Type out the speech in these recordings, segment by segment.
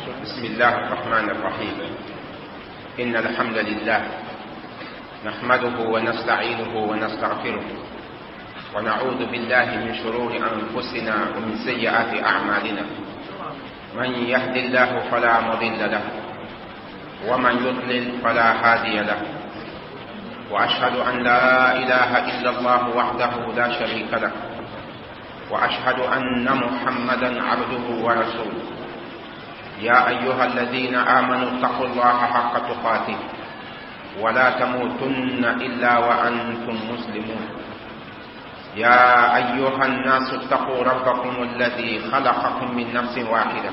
بسم الله الرحمن الرحيم. إن الحمد لله نحمده ونستعينه ونستغفره ونعوذ بالله من شرور أنفسنا ومن سيئات أعمالنا. من يهد الله فلا مضل له ومن يضلل فلا هادي له. وأشهد أن لا إله إلا الله وحده لا شريك له، وأشهد أن محمدا عبده ورسوله. يا أيها الذين آمنوا اتقوا الله حق تقاته ولا تموتن إلا وأنتم مسلمون. يا أيها الناس اتقوا ربكم الذي خلقكم من نفس واحدة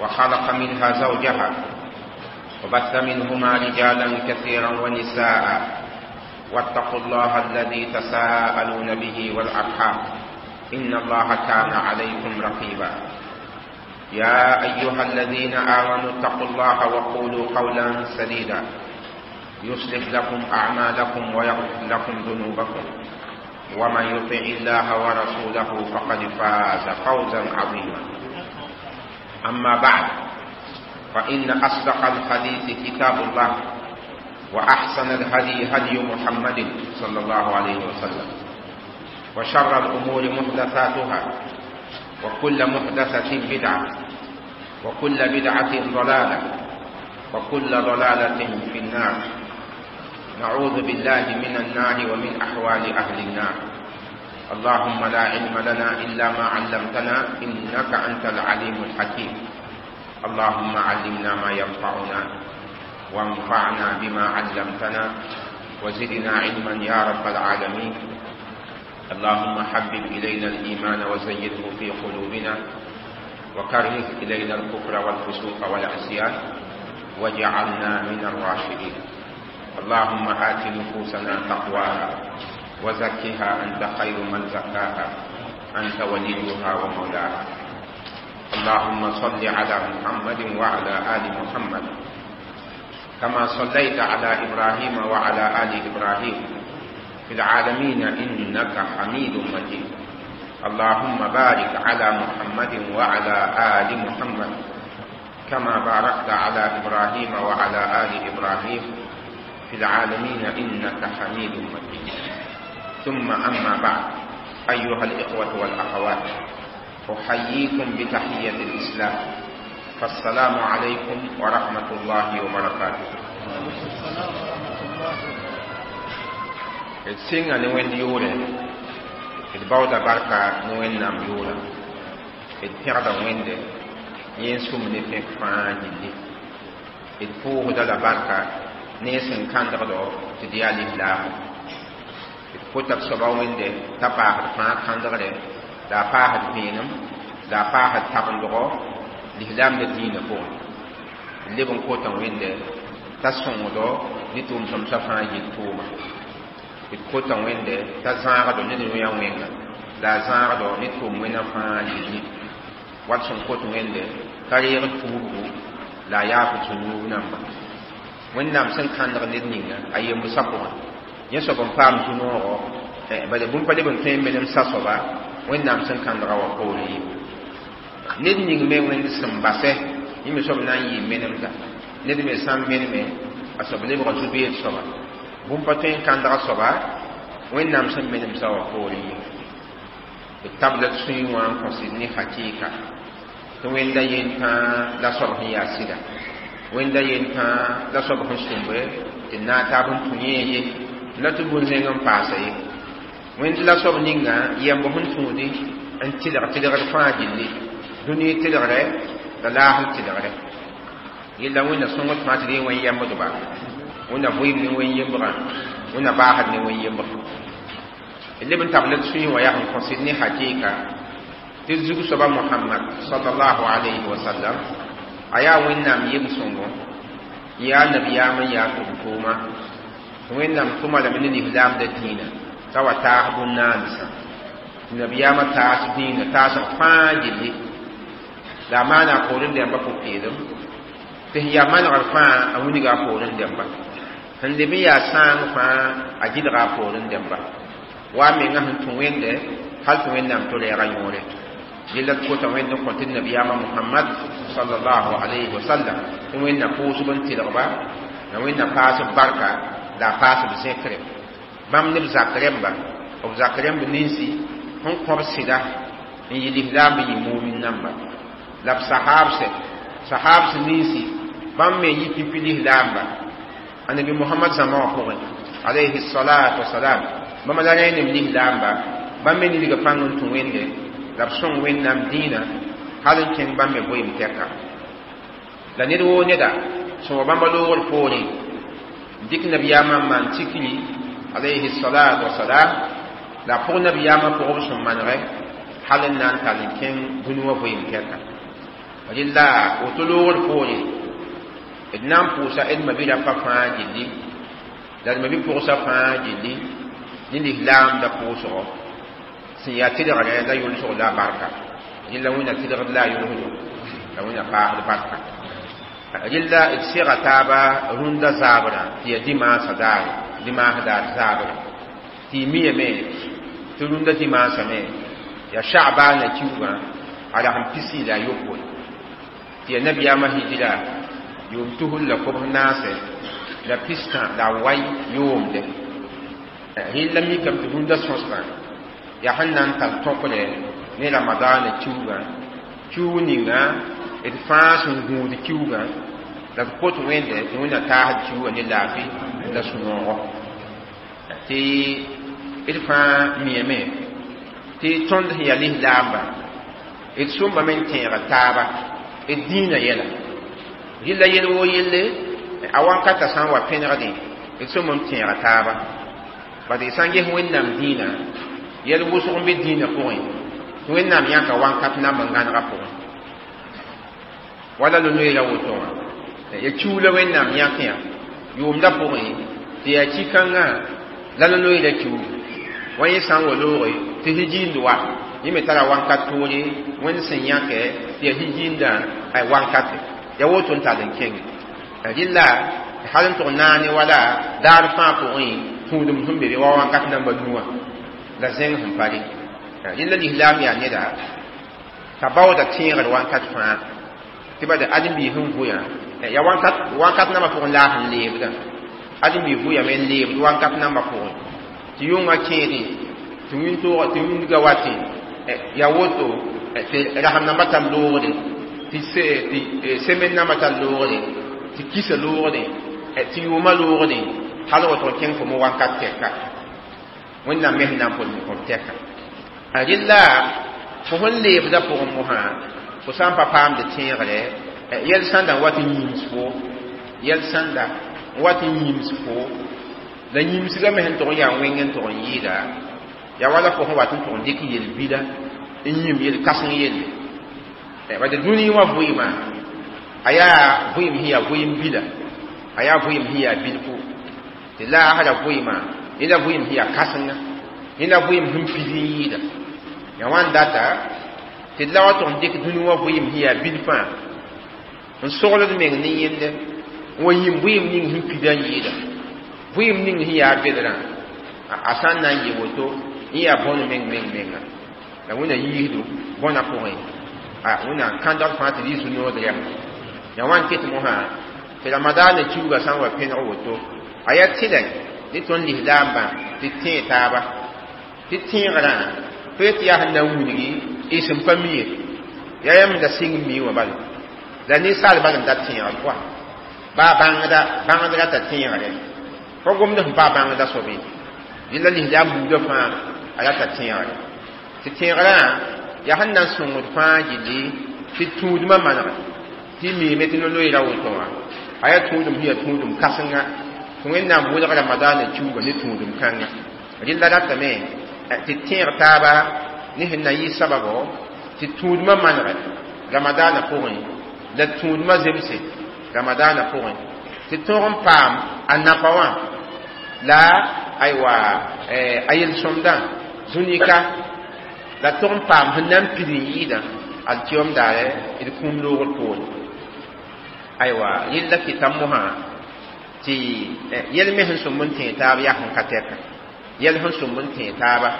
وخلق منها زوجها وبث منهما رجالا كثيرا ونساء، واتقوا الله الذي تساءلون به والأرحام إن الله كان عليكم رقيبا. يا أيها الذين آمنوا اتقوا الله وقولوا قولا سديدا يصلح لكم أعمالكم ويغفر لكم ذنوبكم، ومن يطع الله ورسوله فقد فاز فوزا عظيما. أما بعد، فإن أصدق الحديث كتاب الله، وأحسن الهدي هدي محمد صلى الله عليه وسلم، وشر الأمور محدثاتها، وكل محدثة بدعة، وكل بدعة ضلالة، وكل ضلالة في النار. نعوذ بالله من النار ومن أحوال أهل النار. اللهم لا علم لنا إلا ما علمتنا إنك أنت العليم الحكيم. اللهم علمنا ما ينفعنا وانفعنا بما علمتنا وزدنا علما يا رب العالمين. اللهم حبب إلينا الإيمان وزينه في قلوبنا، وكره إلينا الكفر والفسوق والعصيان، واجعلنا من الراشدين. اللهم آت نفوسنا تقواها وزكها أنت خير من زكاها، أنت وليها ومولاها. اللهم صل على محمد وعلى آل محمد كما صليت على إبراهيم وعلى آل إبراهيم في العالمين إنك حميد مجيد. اللهم بارك على محمد وعلى آل محمد كما باركت على إبراهيم وعلى آل إبراهيم في العالمين إنك حميد مجيد. ثم أما بعد، أيها الإخوة والأخوات، أحييكم بتحية الإسلام، فالسلام عليكم ورحمة الله وبركاته. D sɩnga ne Wẽnd yʋʋrẽ, d baooda barka ne Wẽnnaam yʋʋra, d pẽgda Wẽnde yẽ n sũm ne pẽk fãa gilli. D pʋʋsda la barka ne y sẽn kãndgdo tɩ d yaa lislaamo. D kota b soaba Wẽnde t'a paasd fãa kãndgre, la a paasd vẽenem, la a paasd tabendgo lislaamda diinã pʋgẽ. D leb n kota Wẽnde t'a sõngdo ne tʋʋm-sõmsã fãa yel tʋʋma. D kota Wẽnde t'a zãagdo ne rũyã wẽnga, la a zãagdo ne tʋʋm wẽnã fãa yelli. Wat sẽn kot Wẽnde t'a reeg tuubgu la a yaaf zũnuub namba. Wẽnnaam sẽn kãndg ned ninga a yembsã pʋgẽ, yẽ soab n paam zu-noogo, bala bũmb pa leb n tõe n menem sa-soaba Wẽnnaam sẽn kãndga wã poorẽ ye. Ned ning me Wẽnd sẽn basɛ, yẽ me soab na n yɩ menemda. Ned me sã n meneme, a soab lebga zu-beed soaba. Bũmb pa tõe n kãndga soaba Wẽnnaam sẽn menemsã wã poorẽ ye. D tabla d sũyẽ wã n kõsd ne hakɩɩka tɩ Wẽnda yentãa la soab sẽn yaa sɩda, Wẽnda yentãa la soab sẽn sũmbe tɩ d naag taab n tũ yẽ ye la tɩ bũn-zẽng n paasa ye. Wẽnd la soab ninga yɛmb sẽn tũudi n tɩlg tɩlgd fãa gilli, dũni tɩlgrɛ la laasr tɩlgrɛ. Yella Wẽnna sõngd fãa tɩ d yẽ wẽn yɛmbdba, Wẽnna vɩɩm ne wẽn yembrã, Wẽnna baasd ne wẽn yembr. D leb n tabl d sũyẽ wã yaa sẽn kõsd ne hakɩɩka tɩ zug soaba Mohamad sallallahu alayhi wa sallam a yaa Wẽnnaam yem-sõngo, yaa nabiyaam n yaa tʋm-tʋʋma. Wẽnnaam tʋma lame ne lislaamda dĩinã t'a wa taas bũn-naandsã. Nabiyaamã taas dĩinã taasg fãa gilli, la a maana a poorẽ dẽmba pʋ-peelem, tɩ sẽn yaa manegr fãa a wilga a poorẽ dẽmba, sẽn leb n yaa sãang fãa a gɩlga a poorẽ dẽmba. Wa a menga sẽn tũ Wẽnde hal tɩ Wẽnnaam tɩ reega yõore. Yella d kota wẽnd n kõ tɩ nabiyaamã Mohamad sallallahu alayhi wa sallam tɩ wẽnna pʋʋsb n tɩlgba la wẽnna paasb barka la a paasb zẽkre bãmb ne b zak rẽmba b zak rẽmb ninsi sẽn kõb sɩda n yɩ lislaam n yɩ mumin namba la b sahaabse sahaabs ninsi bãmb me yɩ pipi lislaamba annabi Muhammad zãma wã pʋgẽ alayhi salatu wasalam bãmba la rẽ nem lislaamba bãmb me nidga pãng n tũ wẽnde la b sõng wẽnnaam dĩinã hal n kẽng bãmb me vɩɩm tɛka la ned woo neda sẽn wa bãmba loogr poorẽ dɩk nabiyaamã n maan tikri alayhi salatu wasalam la a pʋg nabiyaamã pʋgb sẽn manegɛ hal n na n tall n kẽng dũni wã vɩɩm tɛka rɩla woto loogr poore d na n pʋʋsa d ma-bi-rapa fãa gilli la d ma-bi-pʋgsa fãa gilli ne lislaamda pʋʋsgɔ sẽn yaa tɩlgrɛ la yʋlsg la a barka rɩla wẽnna tɩlgd la a yʋlsdo la wẽnna paasd barka rɩla d sega taaba rũndã zaabrã tɩ yaa dimaasã daare dimaas daar zaabrã tɩ y miyame tɩ rũndã dimaasã me yaa sha'baana kiugã a rasem pisi la a yopoe tɩ yaa nabiyaamã hijira yʋʋm tusr la kobs naase la pistã la a wai yoomde rɩla mikame tɩ rũndã sõsgã yaa sẽn na n tar tõkre ne ramadaana kiugã kiug ninga d fãa sẽn gũud kiugã la d kot wẽnde tɩ wẽnna taasd kiugã ne laafɩ la sũ-noogo tɩ d fãa miyame tɩ tõnd sẽn yaa lislaamba d sõmbame n tẽega taaba d dĩinã yɛla rɩla yel woo yelle a wankata sã n wa pẽnegdẽ d sõm n tẽega taaba bad d sã n ges wẽnnaam dĩinã yɛl wʋsg n be dĩinã pʋgẽ tɩ wẽnnaam yãka wankat namb n gãnegã pʋgẽ wala lo-noeera woto wã ya kiu la wẽnnaam yãk yã yʋʋmda pʋgẽ tɩ yaa ki-kãngã la lo-noeera kiu wa yẽ sã n wa looge tɩ hijiind wa yẽ me tara wankat toore wẽnd sẽn yãkɛ tɩ yaa hijiindã a wankate ya woto n tall n kẽnge rɩla hal n tʋg naane wala daar fãa pʋgẽ tũudem sẽn be be wa wankat namba nuwã la zẽng sẽn pa re rɩla lislaam yaa neda t'a baooda tẽegr wankat fãa tɩ bad ãdem-biis sẽn vʋyã ya wankat nambã pʋgẽ la a sẽn leebdã ãdem-biis vʋyame n leebd wankat nambã pʋgẽ tɩ yʋngã kẽedẽ tɩ wĩntoogã tɩ wĩndgã watẽ ya woto tɩ rasem nambã tar loogde tɩ semen nambã tar loogde tɩ kisa loogde tɩ yʋʋmã loogde hal woto n kẽng fo mo wankat tɛka wẽnnaam me sẽn na n pʋd n kõt tɛka rɩla fo sẽn leebdã pʋgẽ mosã fo sã n pa paamd tẽegre yɛl sãnda n wat n yĩms fo yɛl sãnda n wat n yĩms fo la yĩmsgã me sẽn tʋg n yaa wẽng n tʋg n yɩɩda yaa wala fo sẽn wat n tʋg n dɩk yel-bila n yĩm yel-kãseng yelle bad dũni wã vɩɩmã a yaa vɩɩm sẽn yaa vɩɩm bila a yaa vɩɩm sẽn yaa bilfu tɩ laasra vɩɩmã yẽ la vɩɩm sẽn yaa kãsenga yẽ la vɩɩm sẽn pid n yɩɩda yaa wãn data tɩ d la wa tʋg n dɩk dũni wã vɩɩm sẽn yaa bilfã n sogld meng ne yẽnde n wa yĩm vɩɩm ning sẽn pida n yɩɩda vɩɩm ning sẽn yaa bedrã a sã n na n yɩ woto n yaa bõn meng meng menga la wẽnna yiisdo bõna pʋgẽ wẽnna kãndg fãa tɩ d yɩ zu-nood rɛm yaa wãn ket mosã tɩ ramadaana kiuugã sã n wa pẽneg woto a yaa tɩlɛ ne tõnd lislaambã tɩ tẽe taaba tɩ tẽegrã fo tɩ yaa sẽn na n wilgi y sẽn pa mi ye yaa yãmb da sɩng mi wã bala la ninsaal bal n dat tẽegr pʋa baa bãngda bãngd rata tẽegre fo gomd sẽn paa bãngda soab ye rɩla lislaam buudã fãa a rata tẽegre tɩ tẽegrã yaa sẽn na n sõngd fãa gilli tɩ tũudmã manega tɩ miime tɩ no-loeera woto wã a yaa tũudum sẽn yaa tũudum kãsenga tɩ wẽnnaam wʋlg ramadaana kiuugã ne tũudum kãnga rɩla ratame tɩ tẽeg taaba ne sẽn na yɩ sababo tɩ tũudmã manege ramadaana pʋgẽ la tũudmã zemse ramadaana pʋgẽ tɩ tõog n paam a napa wã la aywa a yel-sõmdã zũnika la tʋg n paam sẽn na n pid n yɩɩdã alkiyom daare d kũum loogr poore aywa yella kɩta mosã tɩ yɛl me sẽn sõmb n tẽeg taab yaa sẽn ka tɛka yɛl sẽn sõmb n tẽeg taaba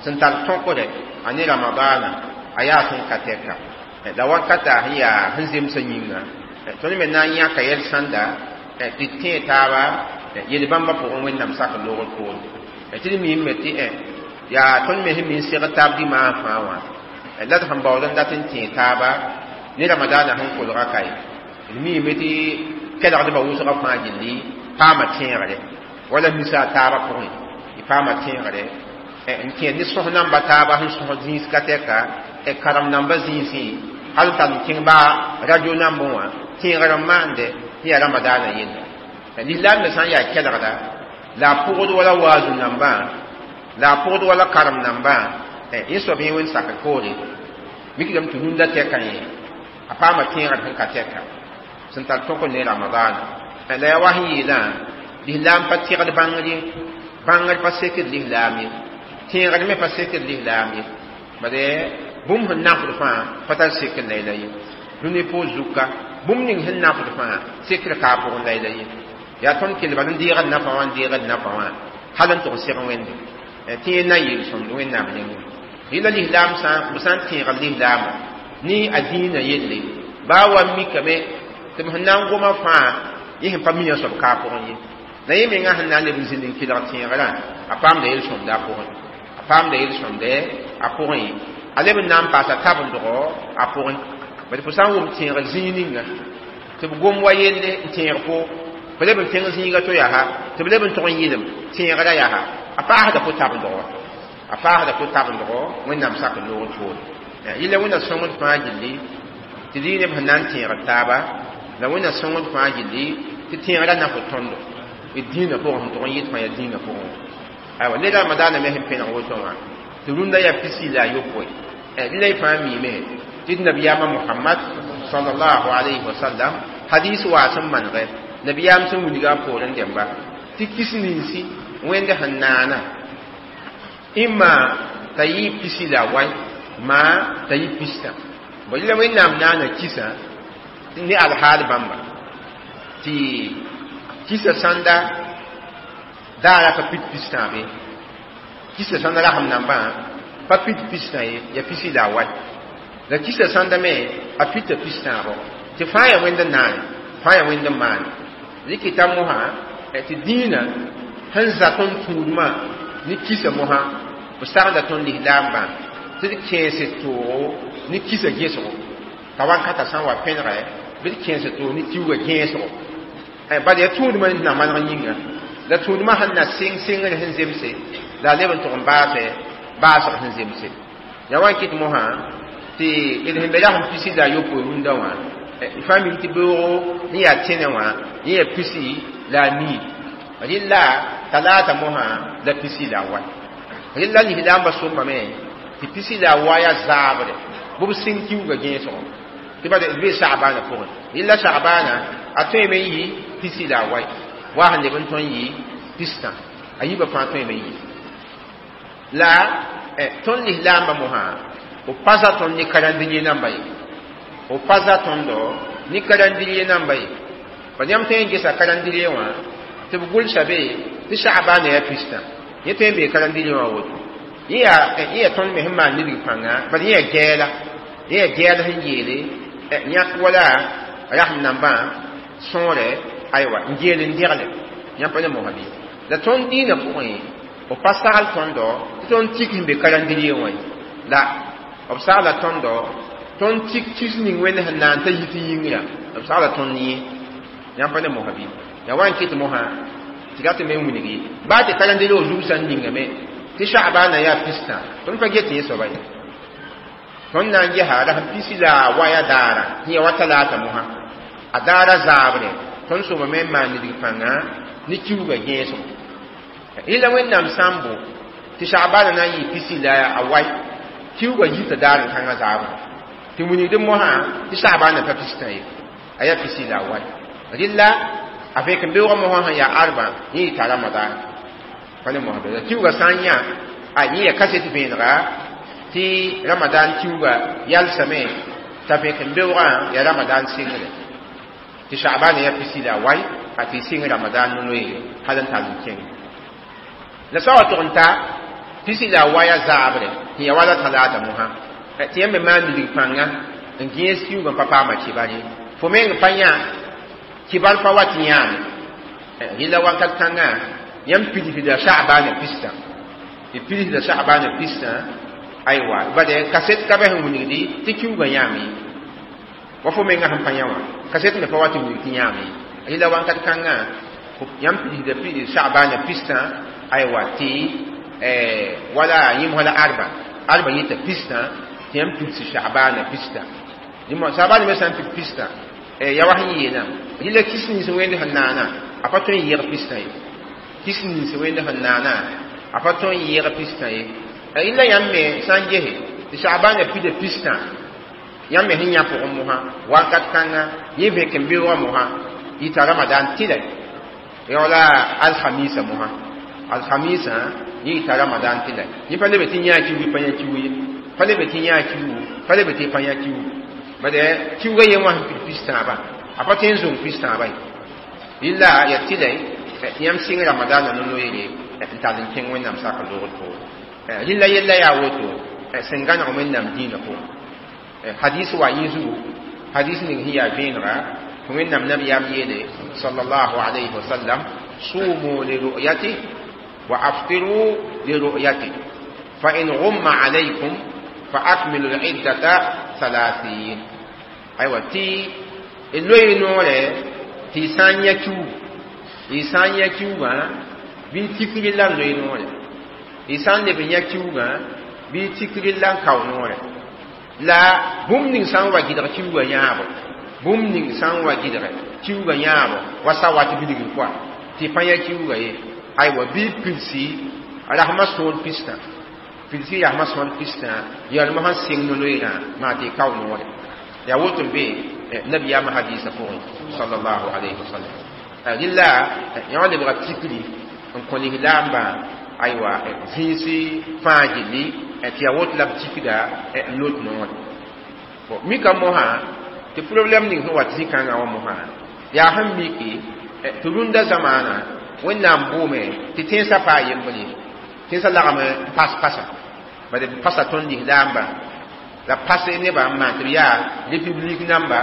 sẽn tar tõkdɛ a ne ramadaana a yaa sẽn ka tɛka la wakata sẽn yaa sẽn zemsã yĩnga tõnd me na n yãka yɛl sãnda tɩ d tẽe taaba yel bãmbã pʋgẽ Wẽnnaam sak loogr poore tɩ d miime tɩ yaa tõnd me sẽn mi n segd taab dimaasã fãa wã la d sẽn baood n dat n tẽe taaba ne ramadaanã sẽn kolga kae d miime tɩ kelgdbã wʋsgã fãa gilli paama tẽegre wala misa a taabã pʋgẽ y paama tẽegre n kẽed ne sõs namba taaba sẽn sõs zĩis ka tɛka karem namba zĩisẽ hal n tar n kẽng baa radio nambẽ wã tẽegr n maande tɩ yaa ramadaanã yella lislaam me sã n yaa kelgda la a pʋgd wala waazu nambã la a pʋgd wala karem nambã yẽ soab yẽ wẽnd sakr poore mikdame tɩ rũndã tɛka yẽ a paama tẽegr sẽn ka tɛka sẽn tar tõk ne ramadaana la yaa wa sẽn yeelã lislaam pa tɩgd bãngr ye bãngr pa sekd lislaam ye tẽegr me pa sekd lislaam ye bade bũmb sẽn nafd fãa pa tar sekr la ye dũni pʋʋs zuka bũmb ning sẽn nafd fãa sekr kaa pʋgẽ la ye yaa tõnd kell bal n deegd nafa wã n deegd nafa wã hal n tʋg seg Wẽnde tɩ yẽ na n yel-sõmd Wẽnnaam nengẽ rɩla lislaam sã b sã n tẽegd lislaamã ne a dĩinã yelle baa wa mikame tɩ b sẽn na n goma fãa yẽ sẽn pa mi a soab kaa pʋgẽ ye la yẽ mengã sẽn na n leb n zĩnd n kelg tẽegrã a paamda yel-sõmda a pʋgẽ a paamda yel-sõmda a pʋgẽ a leb n na n paasa tabendgo a pʋgẽ bad fo sã n wʋm tẽegr zĩig ninga tɩ b gom wa yelle n tẽeg fo fo leb n kẽng zĩiga to yaa tɩ b leb n tʋg n yɩlem tẽegrã yaa a paasda fo tabendgo a paasda fo tabendgo Wẽnnaam sak n loogd poore yɩla Wẽnna sõngd fãa gilli tɩ dɩ neb sẽn na n tẽegd taaba la Wẽnna sõngd fãa gilli tɩ tẽegrã na fo tõndo d dĩinã pʋgẽ sẽn tʋg n yɩt fãa yaa dĩinã pʋgẽ aywa le ramadaanã me sẽn pẽneg woto wã tɩ rũndã yaa pisi la a yopoe rɩla y fãa miime tɩ d nabiyaamã Mohamad sallallahu alayhi wa sallam hadis waa sẽn manegɛ nabiyaam sẽn wilga a poorẽ dẽmba tɩ kis ninsi Wẽnd sẽn naana ĩmma t'a yɩ pisi la a wai maa t'a yɩ pistã bõ rɩla Wẽnnaam naana kisa ne alhaal bãmba tɩ kisa sãnda daara pa pit pistãabe kisa sãnda rasem nambã pa pit pistã ye ya pisi la a wai la kisa sãnda me a pita pistãabo tɩ fãa yaa Wẽnd n naane fãa yaa Wẽnd n maane rɩkɩta mosã tɩ dĩinã sẽn za tõnd tũudmã ne kisa mosã b sagenda tõnd lislaambã tɩ d kẽes toogo ne kisa gẽsgo t'a wakata sã n wa pẽnegɛ bɩ d kẽes toog ne kiuugã gẽesgo bad yaa tũudmã na maneg yĩnga la tũudmã sẽn na sɩng sɩngr sẽn zemse la a leb n tʋg n baasɛ baasg sẽn zemse yaa wa n kɩt mosã tɩ d sẽn be rasem pisi la a yopoe rũndã wã fãa mim tɩ beoogo sẽn yaa tẽnẽ wã yẽ yaa pisi la a nii rɩla talaata mosã la pisi la a wa rɩla lislaambã sombame tɩ pisi la a wa yaa zaabre bɩ b sɩng kiuugã gẽesgo tɩ bad d bee sagbaanã pʋgẽ rɩla sagbaanã a tõeme n yɩ pisi la a wai wa sẽn leb n tõe n yɩ pistã a yiibã fãa tõeme n yɩ la tõnd lislaambã mosã b pa za tõnd ne karandiriye namba ye b pa za tõndo ne karandiriye namba ye pa yãmb tõe n gesa karandiriye wã tɩ b gʋlsa be tɩ sagbaanã yaa pistã yẽ tõe n bee karandiriye wã woto yẽ yaa tõnd me sẽn maan nidg pãnga bad yẽ yaa gɛɛla yẽ yaa gɛɛl sẽn yeele yãk wala rasem nambã sõore aywa n geel n degle yãmb pa ne mosã bɩ la tõnd dĩinã pʋgẽ b pa sagl tõndo tɩ tõnd tik sẽn be karandiriye wã ye la b sagla tõndo tõnd tik kis ning Wẽnd sẽn naan t'a yit yĩngrã b sagla tõnd yẽ yãmb pa ne mosã bɩ yaa wa n kɩt mosã tɩ rat me n wilgi baa tɩ karandiriye zug sã n ningame tɩ sagbaanã yaa pistã tõnd pa get yẽ soaba ye tõnd na n gesa rasem pisi la a waya daara sẽn yaa wa talaata mosã a daara zaabre tõnd sõmame n maan nidg pãnga ne kiuugã gẽesgo rɩla Wẽnnaam sã n bo tɩ sagbaanã na n yɩ pisi la a wai kiuugã yita daar n kãngã zaabre tɩ wilgd mosã tɩ sagbaanã pa pistã ye a yaa pisi la a wai rɩla a vẽk n beoogã mosã sẽn yaa arba yẽ yɩta ramadan pa ne mosã la kiuugã sã n yã a yẽ yaa kaset vẽenega tɩ ramadan kiuugã yalsame t'a vẽk n beoogã yaa ramadan sɩngre tɩ sagbaanã yaa pisi la a wai a tɩ sɩng ramadan no-noeere hal n tall n kẽng la sã wa tʋg n ta pisi la a waya zaabre sẽn yaa wala talaata mosã Tɩ yãmb me maan nidg pãnga n gẽes kiuugã pa paama kɩbar ye. Fo meng pa yã kɩbar pa wat yãame. Rɩla wakat kãngã yãmb pidsda Sha'bana pistã. Tɩ pidsda Sha'bana pistã, aywa, bade kaset ka bɛ sẽn wilgdi tɩ kiuugã yãame ye. Wa fo menga sẽn pa yã wã kaset me pa wat n wilg tɩ yãame ye. Rɩla wakat kãngã yãmb pidsda Sha'bana pistã, aywa, tɩ wala yĩmsã la arba arba yita pistã, tɩ yãmb pidsi Sha'bana pistã. Sha'bana me sã n pid pistã, ya wa sẽn yeelã, rɩla kis nins wẽnd sẽn naana a pa tõe n yɩg pistã ye. Kis nins wẽnd sẽn naana a pa tõe n yɩg pistã ye. Rɩla yãmb me sã n gese tɩ Sha'bana pida pistã, yãmb me sẽn yã pʋgẽ mosã wakat kãnga yẽ vẽk n beoogã mosã yita Ramadan tɩlɛ yaoola alhamisa mosã. Alhamisa yẽ yita Ramadan tɩlɛ. Yẽ pa lebe tɩ yã kiugu pa yã kiugu ye, pa lebe tɩ yã kiugu, pa lebe tɩ pa yã kiugu. Bade kiuga yen wã sẽn pid pistãabã a pa tõe n zong pistãabã ye. Rɩla ya tɩlɛ tɩ yãmb sɩng Ramadaanã no-noeere n tall n kẽng Wẽnnaam sakr loogr poore. Rɩla yella yaa woto sẽn gãneg Wẽnnaam dĩinã pʋgẽ. Hadis wa yẽ zugu, hadis ning sẽn yaa vẽenega tɩ Wẽnnaam nabiyaam yeele sallallahu alayhi wa sallam: sumu li ru'yati wa aftiru li ru'yati, fa in ghumma alaykum fa akmilu al-iddata 30. Aywa, tɩ loe noorɛ tɩ y sã n yã kiugu, y sã n yã kiugã bɩ tikri la n loe noorɛ, y sã n leb n yã kiugã bɩ tikri la n kao noorɛ. La bũmb ning sã n wa gɩdg kiugã yãabo, bũmb ning sã n wa gɩdg kiugã yãabo wa sa wat bilgr pʋa tɩ pa yã kiugã ye, aywa, bɩ pidsi rasmã sõor pistã, pidsi rasmã sõor pistã yalmã sẽn sɩng no-loeerã maa tɩ y kao noorɛ. Yaa woto n be nabiyaamã hadiisã pʋgẽ sallallahu alayhi wa sallam. Rɩla yã wã lebga tikri n kõ lislaambã, aywa, zĩisi fãa gilli tɩ yaa woto la b tikda n lot noore. Mika mosã tɩ problɛm ning sẽn wat zĩ-kãngã wã mosã yaa sẽn miki tɩ rũndã zamaana Wẽnnaam bʋʋme tɩ tẽnsã paa yembre ye, tẽnsã lagm n pas pasa, bad b pasa tõnd lislaambã la pase nebã n maan tɩ b yaa république namba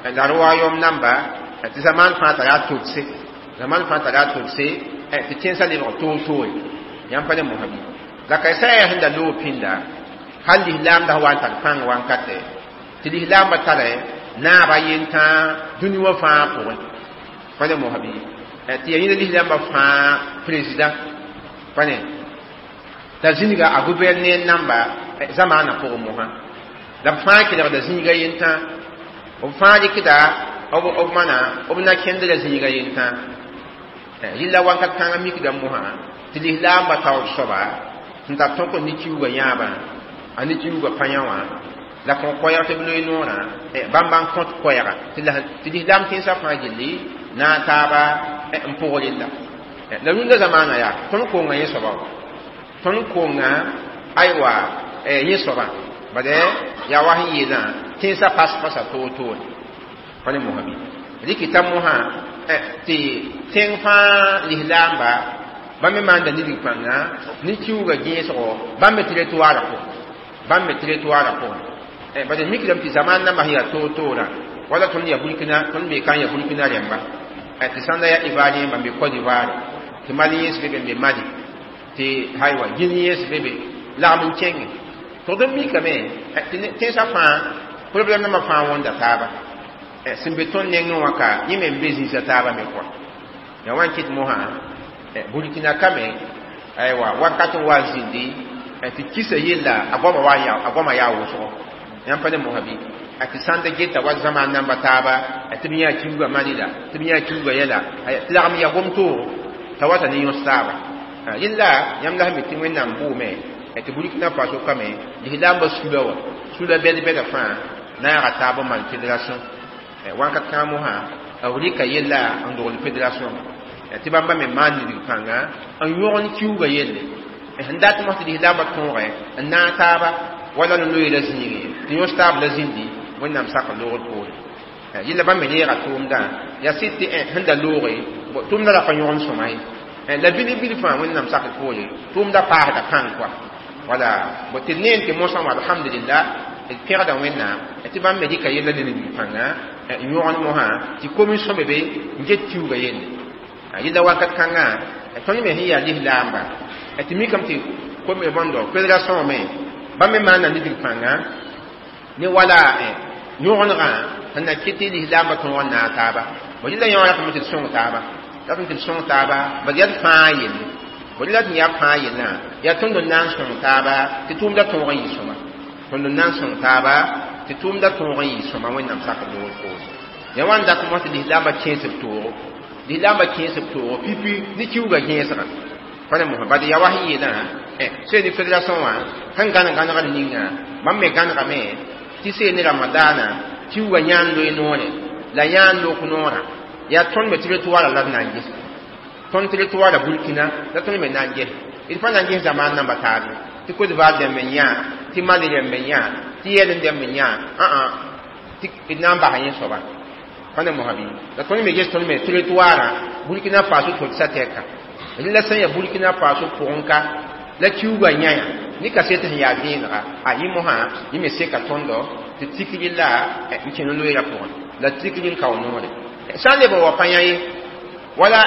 la royaume namba, tɩ zamaan fãa tara a togse, zamaan fãa tara a togse, tɩ tẽnsã lebg toor-toore. Yãmb pa ne mosã bɩ la ka sã yaa sẽn da loog pĩnda hal lislaamda sẽn wa n tar pãng wankatɛ tɩ lislaambã tara naaba yentã dũni wã fãa pʋgẽ. Pa ne mosã bɩ tɩ yaa yĩna lislaambã fãa président pa ne t'a zĩniga a gouverner namba zamaanã pʋgẽ mosã, la b fãa kelgda zĩiga yentã, b fãa rɩkda b mana b na kẽndra zĩiga yentã. Rɩla wakat kãngã mikda mosã tɩ lislaambã taoor soaba sẽn tar tõk n ne kiuugã yãabã a ne kiuugã pa yã wã la kõ koɛɛg tɩ b loe noorã bãmba n kõt koɛɛga tɩ lislaam tẽnsã fãa gilli na a taaba n pʋg rella. La rũndã zamaanã yaa tõnd konga yẽ soaba wa, tõnd konga, aywa, yẽ soaba bade yaa wa sẽn yeelã tẽnsã pas-pasa toor-toore. Pa ne mosã bɩ rɩkɩta mosã tɩ tẽng fãa lislaamba bãmb me maanda nidg pãnga ne kiuugã gẽesgo bãmb me territoire pʋgẽ, bãmb me territoire pʋgẽ. Bade mikdame tɩ zamaan nambã sẽn yaa toor-toorã wala tõnd ya Burkina, tõnd be ka n ya Burkina rẽmba, tɩ sãnda yaa Ivoirien bãmb be Côte d'Ivoire, tɩ Maliens be be n be Mali, tɩ aywa Guinéens be be lagm n kẽnge tʋgd n mikame tɩ tẽnsã fãa problème nambã fãa wõnda taaba sẽn be tõnd nengẽ wã ka yẽ me n be zĩisã taaba me kɔa. Yaa wa n kɩt mosã Burkina kame, aywa, wakat n wa n zĩndi tɩ kisa yella a goama wa ya a goama yaa wʋsgo. Yãmb pa ne mosã bɩ tɩ sãn da geta wa zamaan namba taaba tɩ b yã kiuugã Mali la tɩ b yã kiuugã yɛla tɩ lagm ya gom toogo t'a wata ne yõs taaba. Rẽlla yãmb la sẽn be tɩ Wẽnnaam bʋʋme tɩ Burkina Faso kame lislaambã sula wã sula bɛd-bɛda fãa naaga taab n maan fédération. Wakat kãngã mosã b rɩka yella n dogl fédération tɩ bãmba me maan nidg pãnga n yõgen kiuugã yelle sẽn dat mos tɩ lislaambã tõogẽ n naag taaba wala n loeera zĩigẽ tɩ yõs taab la zĩndi Wẽnnaam sak loogr poore. Yella bãmb me reega tʋʋmdã yaa sɩd tɩ sẽn da looge tʋʋmdã ra pa yõgen sõma ye, la bil-bil fãa Wẽnnaam sakr poore tʋʋmdã paasda pãng kɔa. Wala bo tɩ d neen tɩ mosã wã alhamdulillah. d pẽgda Wẽnnaam tɩ bãmb me dɩka yella ne pãnga n yõgd mosã tɩ commission be be n get kiuugã yelle. Yella wakat kãngã tõnd me sẽn yaa lislaamba tɩ mikame tɩ bõndo fédération me bãmb me maana nidg pãnga ne wala yõgendgã sẽn na kɩt tɩ lislaambã tõog n naag taaba. Bõ rɩla yõ ratame tɩ d sõng taaba, ratame tɩ d sõng taaba, bad yaa d fãa yelle. Bõ rɩla tɩ yaa fãa yellã, yaa tõnd n na n sõng taaba tɩ tʋʋmda tõog n yɩ sõma. Tõnd n na n sõng taaba tɩ tʋʋmda tõog n yɩ sõma Wẽnnaam sakr loogr poore. Ya wa n dat mos tɩ lislaambã kẽes b toogo, lislaambã kẽes b toogo pipi ne kiuugã gẽesgã. Pa ne mosã bad yaa wa sẽn yeelã sẽn ne fédération wã sẽn gãn gãnegr ninga bãmb me gãnegame tɩ seen ne ramadaana kiuugã yãan loe noore la yãan lok noorã yaa tõnd me territoire la d na n ges, tõnd territoire Burkina la tõnd me na n ges. D pa na n ges zamaan namba taabe tɩ Côte d'Ivoire dẽmb n yã, tɩ Mali dẽmb n yã, tɩ yɛl n dẽmb n yã, ã tɩ d na n basa yẽ soaba. Pa ne mosã bɩ la tõnd me ges tõnd me territoire Burkina Faso tʋdsa tɛka. La sẽn yaa Burkina Faso pʋgẽ ka la kiuugã yãya ne kaset sẽn yaa vẽenega a yẽ mosã yẽ me seka tõndo tɩ tikr la n kẽ no-loeera pʋgẽ la tikr n kao noore sã n leb n wa pa yã ye wala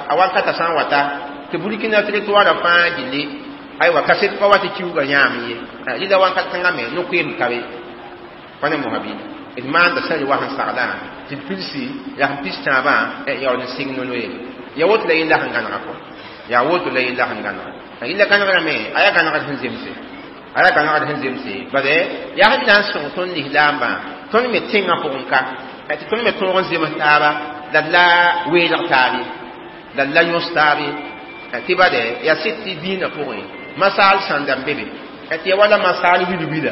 a wakata sã n wata tɩ Burkina territoire fãa gilli aywa kaset pa wa tɩ kiuugã yãame ye rɩla wakat kãngã me no-koeem ka be. Pa ne mosã bɩ d maanda sã wa sẽn saglã tɩ d pilsi la sẽn pis tãabã yaool n sɩng no-loeere. Ya woto la yella sẽn gãnega kɔ, yaa woto la yella sẽn gãnega. Yella gãnegrame a yaa gãnegd sẽn zemse, a yaa gãnegd sẽn zemse, bad yaa sẽn na n sõng tõnd lislaambã tõnd me tẽngã pʋgẽ ka tɩ tõnd me tõog n zems taaba la d la weelg taabe la d la yõs taabe tɩ bad yaa sɩd tɩ dĩinã pʋgẽ masaal sãnda n be be tɩ ya wala masaal wil-wila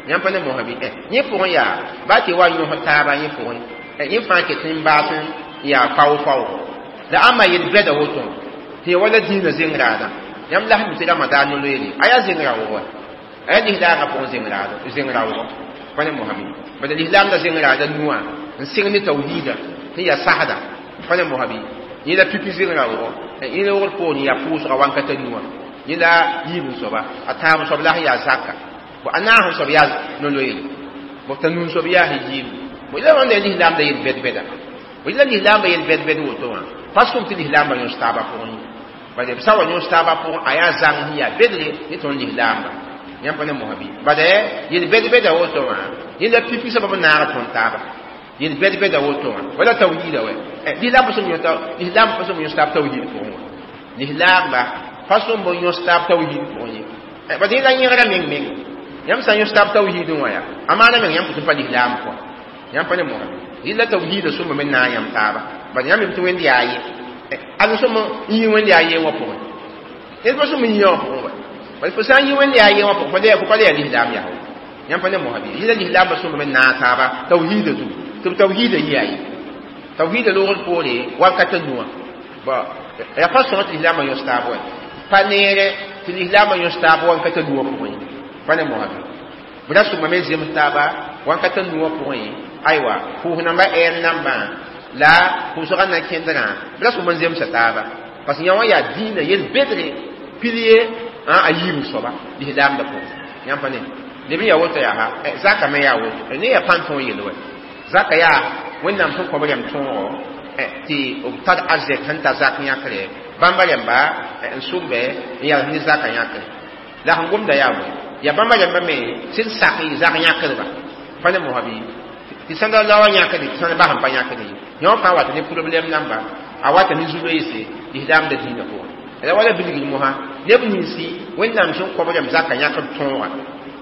yãmb pa ne mosã bɩ yẽ pʋgẽ yaa baa tɩ wa yõs taaba yẽ pʋgẽ yẽ fãa ket n baas n yaa fao-fao la ãmba yel-bɛda woto tɩ ya wala dĩinã zeng-raadã. Yãmb la sẽn mi tɩ ramadan no-loeere a yaa zeng-raoogã, a yaa lislaagã pʋgẽ zeng-raoogã. Pa ne mosã bɩ bad lislaamda zeng-raada nuwã n sɩng ne tawhiida sẽn yaa sasda. Pa ne mosã bɩ yẽ la pipi zeng-raoogã yẽ loogr poor yaa pʋʋsga wankata nuwã yẽ la yiib n soaba a tãab soab la sẽn yaa zaka a naas n soab yaa no-loeere bõ t'a nun soab yaa sẽn yiimd. Bõ la wãnda lislaamda yel-bɛd-bɛda, bõ la lislaambã yel-bɛd-bɛd woto wã pa sʋm tɩ lislaambã yõs taabã pʋgẽ ye. Bad b sã wa yõs taabã pʋgẽ a yaa zãng sẽn yaa bedre ne tõnd lislaamba. Yãmb pa ne mosã bɩ bad yel-bɛd-bɛda woto wã yẽ la pipi soab b naag tõnd taaba yel-bɛd-bɛda woto wã wala tawhiida wɛ lislaam pa sõm yõs taab tawhiid pʋgẽ wã, lislaamba pa sõm b yõs taab tawhiid pʋgẽ ye. Bad yẽ la yẽgra meng meng yãmb sã n yõs taab tawhiidẽ wã yaa a maana meng yãmb tɩ pa lislaam pʋgã. Yãmb pa ne mosã bɩ yella tawhiida sõma me naag yãmb taaba bad yãmb tɩ Wẽnd yaa ye ad sõm n yɩ Wẽnd yaa ye wã pʋgẽ ned pa sõm n yɩ wã pʋgẽ wa bad fo sã n yɩ Wẽnd yaa ye wã pʋgẽ fo pa le yaa lislaam yaa yãmb pa ne mosã bɩ yella lislaambã sõma me naag taaba tawhiida zugu tɩ b tawhiida yɩ yaa ye tawhiida loogr poore wakata nuwã yaa pa sõng tɩ lislaambã yõs taab wa pa neere tɩ lislaambã yõs taab wankata nuwã pʋgẽ ye. Pa ne mosã bɩ b ra sõma me zems taaba wankata nuwã pʋgẽ aywa pʋʋs namba ɛɛr nambã la pʋʋsgã na kẽndrã b ra sõm n zemsa taaba parce que yã wã yaa dĩinã yel-bedre pilier a yiib soaba lislaamda pʋgẽ. Yãmb pa ne leb n yaa woto yaa ha zaka me yaa woto ne yaa pãn tõog yel wɛ zaka yaa Wẽnnaam sẽn kõ b rɛm tõogo tɩ b tar arzɛk sẽn ta zak yãkre bãmba rẽmba n sʋmbe n yaa ne zaka yãkre la sẽn gomda yaa bõe yaa bãmba rẽmba me sẽn sak y zak yãkdba. Pa ne mosã bɩ tɩ sãnda la wa yãkde tɩ sãnda bas n pa yãkde ye yõ fãa wata ne problɛm namba a wata ne zu-loeese lislaamda dĩinã pʋgẽ. La wala bilgr mosã neb ninsi Wẽnnaam sẽn kõ b rẽmb zaka yãkd tõoga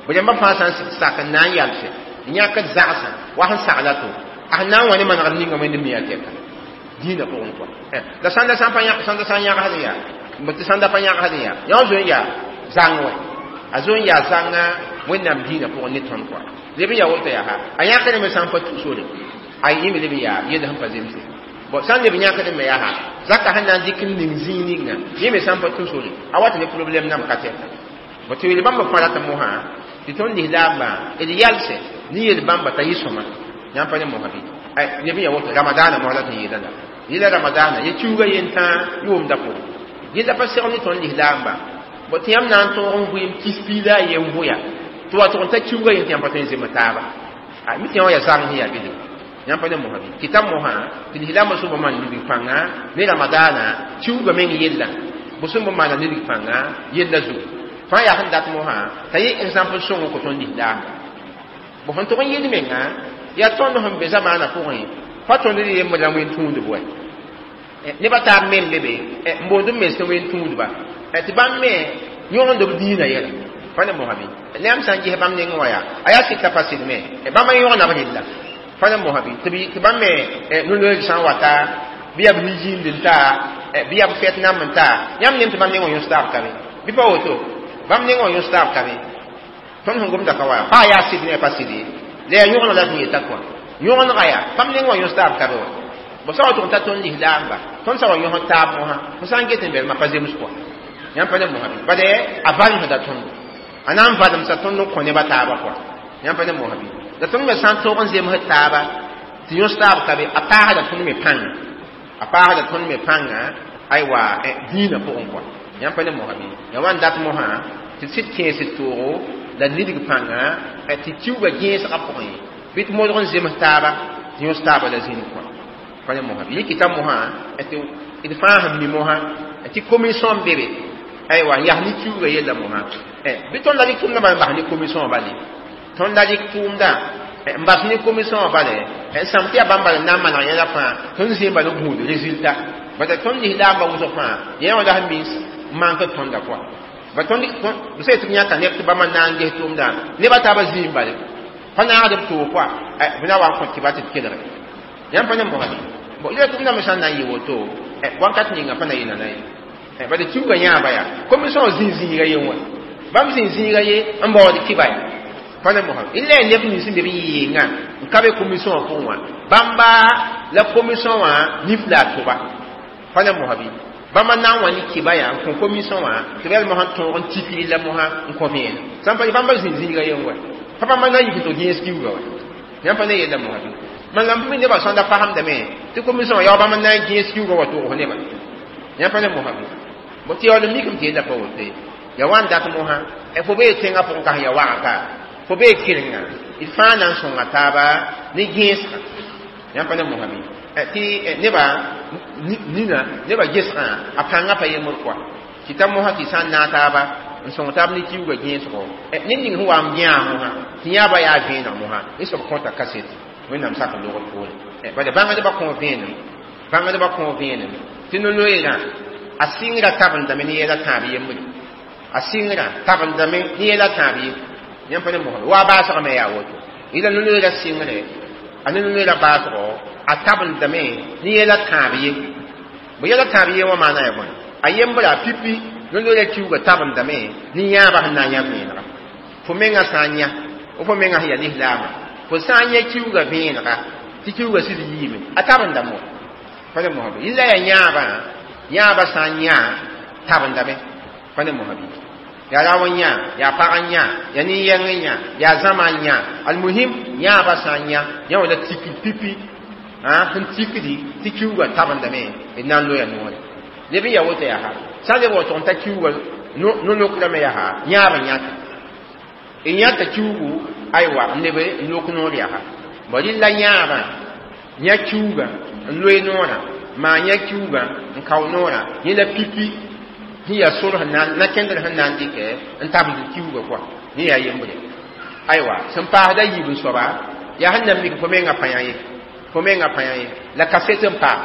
b rẽmbã fãa sã n sak n na n yalse n yãkd zagsã wa sẽn sagla to a sẽn na n wa ne manegd ninga Wẽnd me yaa tɛka dĩinã pʋgẽ kɔa. La sãnda sã n yãgsd yaa tɩ sãnda pa yãgsd yaa yõ zoe n yaa zãng wɛ a zoe n yaa zãnga Wẽnnaam dĩinã pʋgẽ ne tõnd kɔa. Leb n yaa woto yaa ha a yãkd me sã n pa tu sore a yẽ me leb n yaa yell sẽn pa zemse bõ sã n leb yãkd me yaa ha zaka sẽn na n dɩk n ning zĩig ninga yẽ me sã n pa tũ sore a wat ne problɛm nam ka tɛka. Bõ tɩ yel bãmba fãa rat mosã tɩ tõnd lislaambã d yalse ne yel bãmba t'a yɩ sõma. Yãmb pa ne mosã bɩ leb n yaa woto ramadaana mosã la tɩ yeela la yella ramadaana ye kiuugã yentãa yʋʋmda pʋgẽ yella pa segl ne tõnd lislaambã bõ tɩ yãmb na n tõog n vɩɩm kis piila a yen vʋya Tɩ wa tʋg n ta kiuugã yẽ tɩ yãmb pa tõe n zems taaba. A mi tɩ yã wã yaa zagẽ sẽn yaa bɩ yãmb pa ne mosã bɩ kɩta mosã tɩ lislaambã sẽn maan nidg pãnga ne ramadaana kiuugã meng yella bõ sẽn bõ maana nidg pãnga yella zugu fãa yaa sẽn dat mosã t'a yẽ exemple sõng n kõ tõnd lislaamba bõ sẽn tʋg n yɩl menga yaa tõnd sẽn be zamaanã pʋgẽ pa tõnd d yembr la wẽn tũudb wɛ nebã taab me n be be n boond b mens tɩ wẽn tũudba tɩ bãmb me yõgend b diinã yɛla pa ne mosã bɩ yãmb sã n ges bãmb nengẽ wã yaa a yaa sɩd t'a pa sɩd me bãmb n yõgna b rella pa ne mosã bɩ tɩ bãmb me no-loeeg sã n wata bɩ yaa b nijiind n ta bɩ yaa b fɛt namb n ta yãmb nem tɩ bãmb nengẽ wã yõs taab ka be bɩ pa woto bãmb nengẽ wã yõs taab ka be tõnd sẽn gomda ka wa pa yaa sɩd ne pa sɩd ye la yaa yõgeneg la sẽn yeta kɔa yõgenega yaa bãmb nengẽ wã yõs taab ka be wa bõ sã wa tʋg n ta tõnd lislaamba tõnd sã wa yõsd taab mosã fo sã n get n belmã pa zems kɔa yãmb pa ne mosã bɩ bade a valemsda tõndo a na n valemsa tõnd n kõ nebã taabã kɔa yãmb pa ne mosã bɩ la tõnd me sã n tõog n zemsd taaba tɩ yõs taab ka be a paasda tõnd me pãnga a paasda tõnd me pãnga aywa dĩinã pʋgẽ kɔa yãmb pa ne mosã bɩ ya wa n dat mosã tɩ sɩd kẽesd toogo la nidg pãnga tɩ kiuugã gẽesgã pʋgẽ bɩ tɩ modg n zems taaba tɩ yõs taaba la zĩnd kɔa pa ne mosã bɩ yẽ kɩta mosã tɩ d fãa sẽn mi mosã tɩ commission be be aywa n yas ne kiuugã yella mosã bɩ tõnd la rɩk tʋʋmdã bala n bas ne commission bale tõnd la rɩk tʋʋmdã n bas ne commission bale n sãm tɩ yaa bãmb bala n na n maneg yẽla fãa tõnd zẽem bala n gũud résultat bala tõnd lislaambã wʋsg fãa yẽ wã la sẽn mins n maan tɩ tõnda kɔa ba tõnd b sã tɩ b yãka neb tɩ bãmba na n ges tʋʋmdã nebã taabã zĩim bale pa naagd b toog kɔa b na wa n kõ tɩ ba tɩ d kelge yãmb pa ne mosã bõ ila tʋʋmdã me sã n na n yɩ woto wakat ninga pa na yɩ nana ye bala kiuugã yãaba yaa commission zĩ zĩiga ye wã bãmb zĩ zĩiga ye n baood kɩba ya pa ne mosã illa ya neb nins n be b yɩɩngã n ka be commission wã pʋgẽ wã bãmba la commission wã nif la a tʋba pa ne mosã bɩ bãmba na n wa ne kɩba yaa n kõ commission wã tɩ b yaa mosã tõog n tik rɩlla mosã n kõ vẽenem sã n pa bãmba zĩ zĩiga ye n wa pa bãmba na n yik tɩ gẽes kiuugã wa yãmb pa ne yella mosã bɩ man la b nebã sõnda fasemdame tɩ commission wã yaa bãmb n na n gẽes kiuugã wa tʋgs nebã yãmb pa ne mosã bɩ bõ tɩ yaool n mikame tɩ yella pa woto ye ya wa n dat mosã fo bee tẽngã pʋgẽ ka sẽn ya wagka fo bee kerenga d fãa na n sõnga taaba ne gẽesgã yãmb pa ne mosã bɩ tɩ nebã nina nebã gesgã a pãngã pa yembr kɔa tɩ ta mosã tɩ sã n naag taaba n sõng taab ne kiuugã gẽesgo ned ning sẽn wa n yãa mosã tɩ yãaba yaa vẽeneg mosã y soab kõta kaset wẽnnaam sak n logd poore bala bãngdbã kõ vẽenem bãngdbã kõ vẽenem tɩ no-loeerã a sɩngrã tabendame ne yɛla tãab yembre a sɩngrã tabendame ne yɛla tãab ye yãmb pa ne mosã wa baasgame yaa woto yɩla no-loeerã sɩngre a ne no-loeerã baasgo a tabendame ne yɛla tãab ye bõ yɛla tãab ye wã maana yaa bõe a yembra pipi no-loeerã kiuugã tabendame ne yãabã sẽn na n yã vẽenega fo mengã sã n yã fo mengã sẽn yaa lislaamã fo sã n yã kiuugã vẽenega tɩ kiuugã sɩd yiime a tabendame wa pa ne mosã bɩ yɩla yaa yãabã yãabã sã n yã tabendame pa ne mosã bɩ yaa rao n yã yaa pag n yã yaa nin-yɛng n yã yaa zãma n yã almuhim yãabã sã n yã yã wã la tikd pipi sẽn tikdi tɩ kiuugã tabendame d na n loya noore leb n yaa woto yaa ha sã n leb wa tʋg n ta kiuugã no-lokrame yaa ha yãab n yãta n yãta kiuugu aywa n leb n lok noor yaa ha bõ rɩlla yãabã yã kiuugã n loe noorã maa yã kiuugã n kao noorã yẽ la pipi sẽn yaa sor sẽn na kẽndr sẽn na n dɩkɛ n tabend kiuugã kɔa yẽ yaa yembre aywa sẽn paasda yiib n soaba yaa sẽn na n mik fo mengã pa yã ye fo mengã pa yã ye la kaset n paam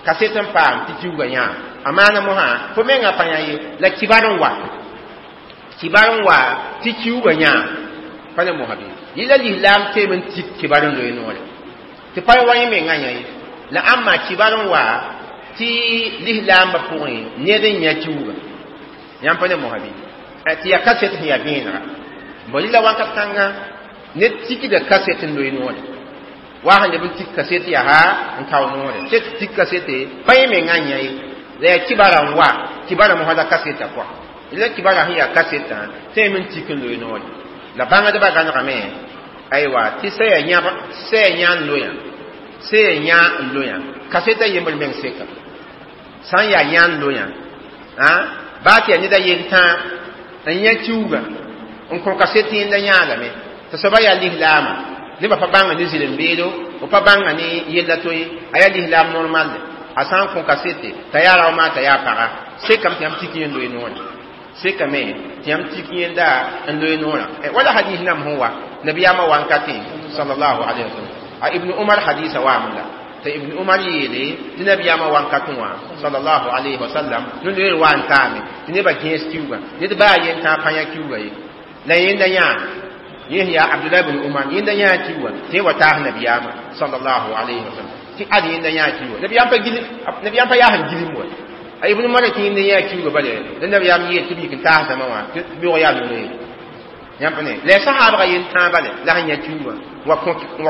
kaset n paam tɩ kiuugã yãa a maana mosã fo mengã pa yã ye la kibar n wa kibar n wa tɩ kiuugã yãa pa ne mosã bɩ yɩla lislaam teem n tik kibar n loe noore tɩ pa wa yẽ mengã yã ye la ãmba kibar n wa tɩ lislaambã pʋgẽ ned n yã kiuugã yãmb pa ne mosã bɩ tɩ yaa kaset sẽn yaa vẽenega bõ rɩla wakat kãngã ned tikda kaset n loe noore wa sẽn leb n tik kaset yaa n kao noore tɩ tik kasete pa yẽ mengã n yã ye la yaa kibara n wa kibara mosã la kaseta pʋa la kibara sẽn yaa kasetã tẽem n tik n loe noore la bãngdbã gãnegame aywa tɩ sã yaa yã n loyã sã yaa yã n loyã kaseta yembr meng seka sã n yaa yã n loyã baa tɩ yaa ned a yel tãa n yã kiuugã N kõ kaset yẽnda yãadame t'a soaba yaa lislaamã nebã pa bãnga ne zɩlem-beedo b pa bãnga ne yella to ye a yaa lislaam normal a sã n kõ kasete t'a yaa rao maa t'a yaa paga sekame tɩ yãmb tik yẽnd loe noorã sekame tɩ yãmb tik yẽnda n loe noorã wala hadis nam sẽn wa nabiyaamã wankatẽ sallallahu alaihi wasallam a Ibn Umar hadisa waame la t'a Ibn Umar yeele tɩ nabiyaamã wankatẽ wã sallallahu alaihi wasallam no-loeer wa n taame tɩ nebã gẽes kiuugã ned baa yen tã pa yã kiuugã ye la yẽnda yãa yẽ yaa Abdullah ibn Umar yẽnda yãa kiuugã tɩ wa taas nabiyaamã sallallahu alaihi wasallam tɩ ad yẽnda yãa kiuugã nabiyaam pa gil nabiyaam pa yaa sẽn gilim wa a Ibn Umar tɩ yẽnda yãa kiuugã bale la nabiyaam yeel tɩ b yik n taasdame wã tɩ beoog yaa no-loeere yãmb ne la sahabga yen tã bale la sẽn yã kiuugã wa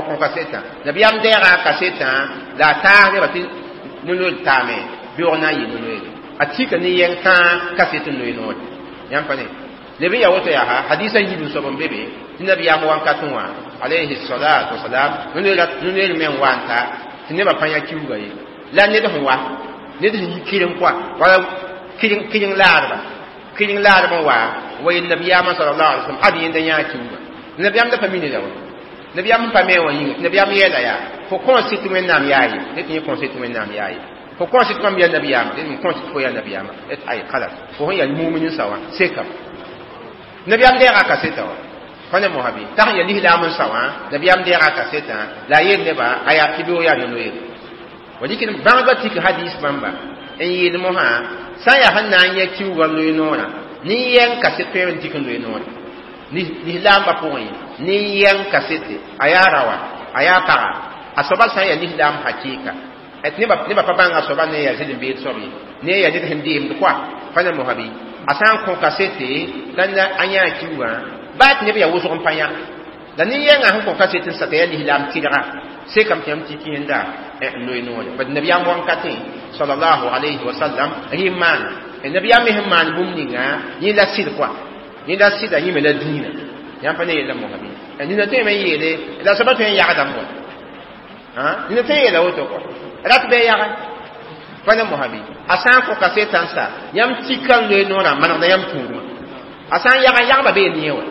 kõ kasetã nabiyaam deega a kasetã la a taas nebã tɩ no-loeer taame beoog na n yɩ no-loeere a tika ne yɛng tãa kaset n loe noore yãmb pa ne leb n yaa woto yaa hadisa yiib n soab n be be tɩ nabiyaam wankatẽ wã alayhi salatu wasalam no-loeer me n wa n ta tɩ nebã pa yã kiuugã ye la ned sẽn wa ned sẽn yi kɩreng kɔa wala kɩreng laadba kɩreng laadb n wa yel nabiyaamã sallallahu alaihi wasallam ad yẽnda yãa kiuugã nabiyaam da pa mini la wa nabiyaam n pa me wã yĩnga nabiyaam yeela yaa fo kõ sɩt wẽnnaam yaa ye ned tɩ yẽ kõ sɩt wẽnnaam yaa ye fo kõ sɩt mam yaa nabiyaamã ned m kõ sɩt fo yaa nabiyaamã et ay khalas fo sẽn yaa mumin n sa wã sekam nabiyaam deega kaseta wã pa ne mosabi t'a sẽn yaa lislaam n sa wã nabiyaam deega kasetã la a yeel nebã a yaa tɩ beoog yaa no-loeere wa dɩk bãngdbã tik hadis bãmba n yeel mosã sã n yaa sẽn na n yã kiuugã loe noorã nin-yɛng kaset tõe n tik n loe noore lislaambã pʋgẽ nin-yɛng kasete a yaa raoã a yaa paga a soaba sã n yaa lislaam hakɩɩka nebã pa bãnga soaba ne yaa zɩlem-beed soab ye ne yaa ned sẽn deemd koa pa ne mosabi a sã n kõ kasete la a yãa kiuugã baa tɩ neb yaa wʋsg n pa yã la nin-yɛngã sẽn kõ kaset n sa t'a yaa lislaam tɩrga sekame tɩ yãmb tik yẽnda n loe noore bad nabiyaam wankatẽ sallallahu alayhi wa sallam rɩ n maana nabiyaam me sẽn maan bũmb ninga yẽ la sɩd koa yẽ la sɩda yẽ me la dĩinã yãmb pa ne yella mosabi nina tõeme n yeele la soaba tõe n yagdame wa nina tõe n yeela woto koa rat bɩ yaga pa ne mosabi a sã n kõ kasetã n sa yãmb tika n loe noorã manegda yãmb tũudmã a sã n yaga yagba bee ne wã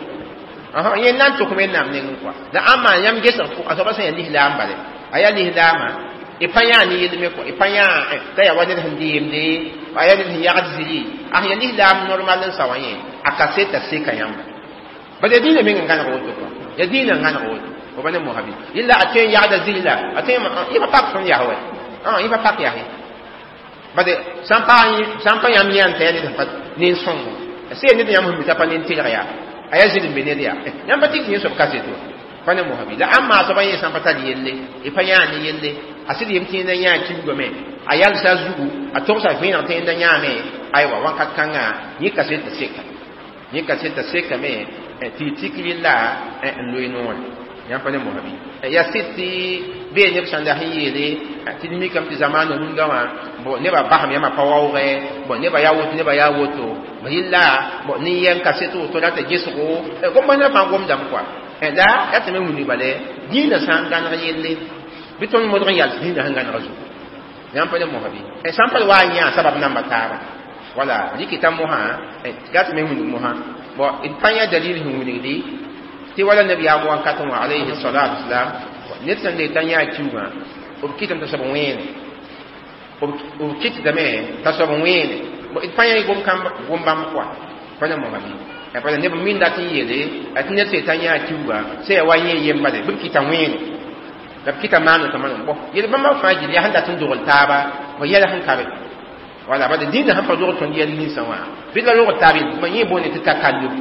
yẽ na n tʋk wẽnnaam nengẽ koa la ãmba yãmb gesg a soaba sẽn yaa lislaam bale a yaa lislaamã y pa yãa ne yell me kɔa y pa yãa t'a yaa wa ned sẽn deemde a yaa ned sẽn yagd ziri a sẽn yaa lislaam normal n sa wã yẽ a kaseta seka yãmba bala yaa dĩinã meng n gãneg woto kɔa yaa dĩinã n gãneg woto fo pa ne mosabi yella a tõe n yagda ziri la a tõe yẽ pa pak tõnd yas wɛ yẽ pa pak yas ye bade sã n pa yãmb yã n t'a yaa ned sẽn pa nen-sõngo sẽn ned yãmb sẽn mi t'a pa nen-telg yaa a yaa zɩlem be ned yaa yãmb pa tik tɩ yẽ soab kaseto pa ne mosabi la ãmb maa soaba yẽ sã n pa tar yelle y pa yãa ne yelle a sɩd yem tɩ yẽnda yãa kiuugame a yalsa zugu a togsa vẽeneg tɩ yẽnda yãame aywa wakat kãngã yẽ kaseta seka yẽ kaseta sekame tɩ y tik rɩlla n loe noore yãmb pa ne mosabi yaa sɩd tɩ bee neb sãn das n yeele tɩ d mikame tɩ zamaana rũndã wã bon nebã basame yãmba pa waoogɛ bon nebã yaa woto nebã yaa woto yella bon nin-yɛng kaset woto rata gesgo gom-basdã fãa gomdame koa la yaa tɩ me wilg bale dĩinã sã n gãneg yelle bɩ tõnd modg n yals dĩinã sẽn gãneg zugu yãmb pa ne mosabi sã n pa wa n yã sabab namba taaba wala rɩkɩta mosã yaa tɩ me wilg mosã bon d pa yã dalil sẽn wilgdi tɩ wala nabiyaam wankatẽ wã alayhi salatu wasalam ned sẽn le t'a yã kiuugã b kɩtame t'a soab wẽene b kɩtdame t'a soab wẽene d pa yã gom-bãmb koa pa ne mosabi pa neb min dat n yeele tɩ ned sẽn t'a yã kiuugã sẽn yaa wa yẽ yembale bɩ b kɩta wẽene la b kɩta maano t'a manem bõ yel bãmba fãa gil yaa sẽn dat n dogl taaba bõ yɛla sẽn ka be wala bala dĩinã sẽn pa dogl tõnd yɛl ninsã wã bɩ la rogl taab yel yẽ boonde tɩ takalluf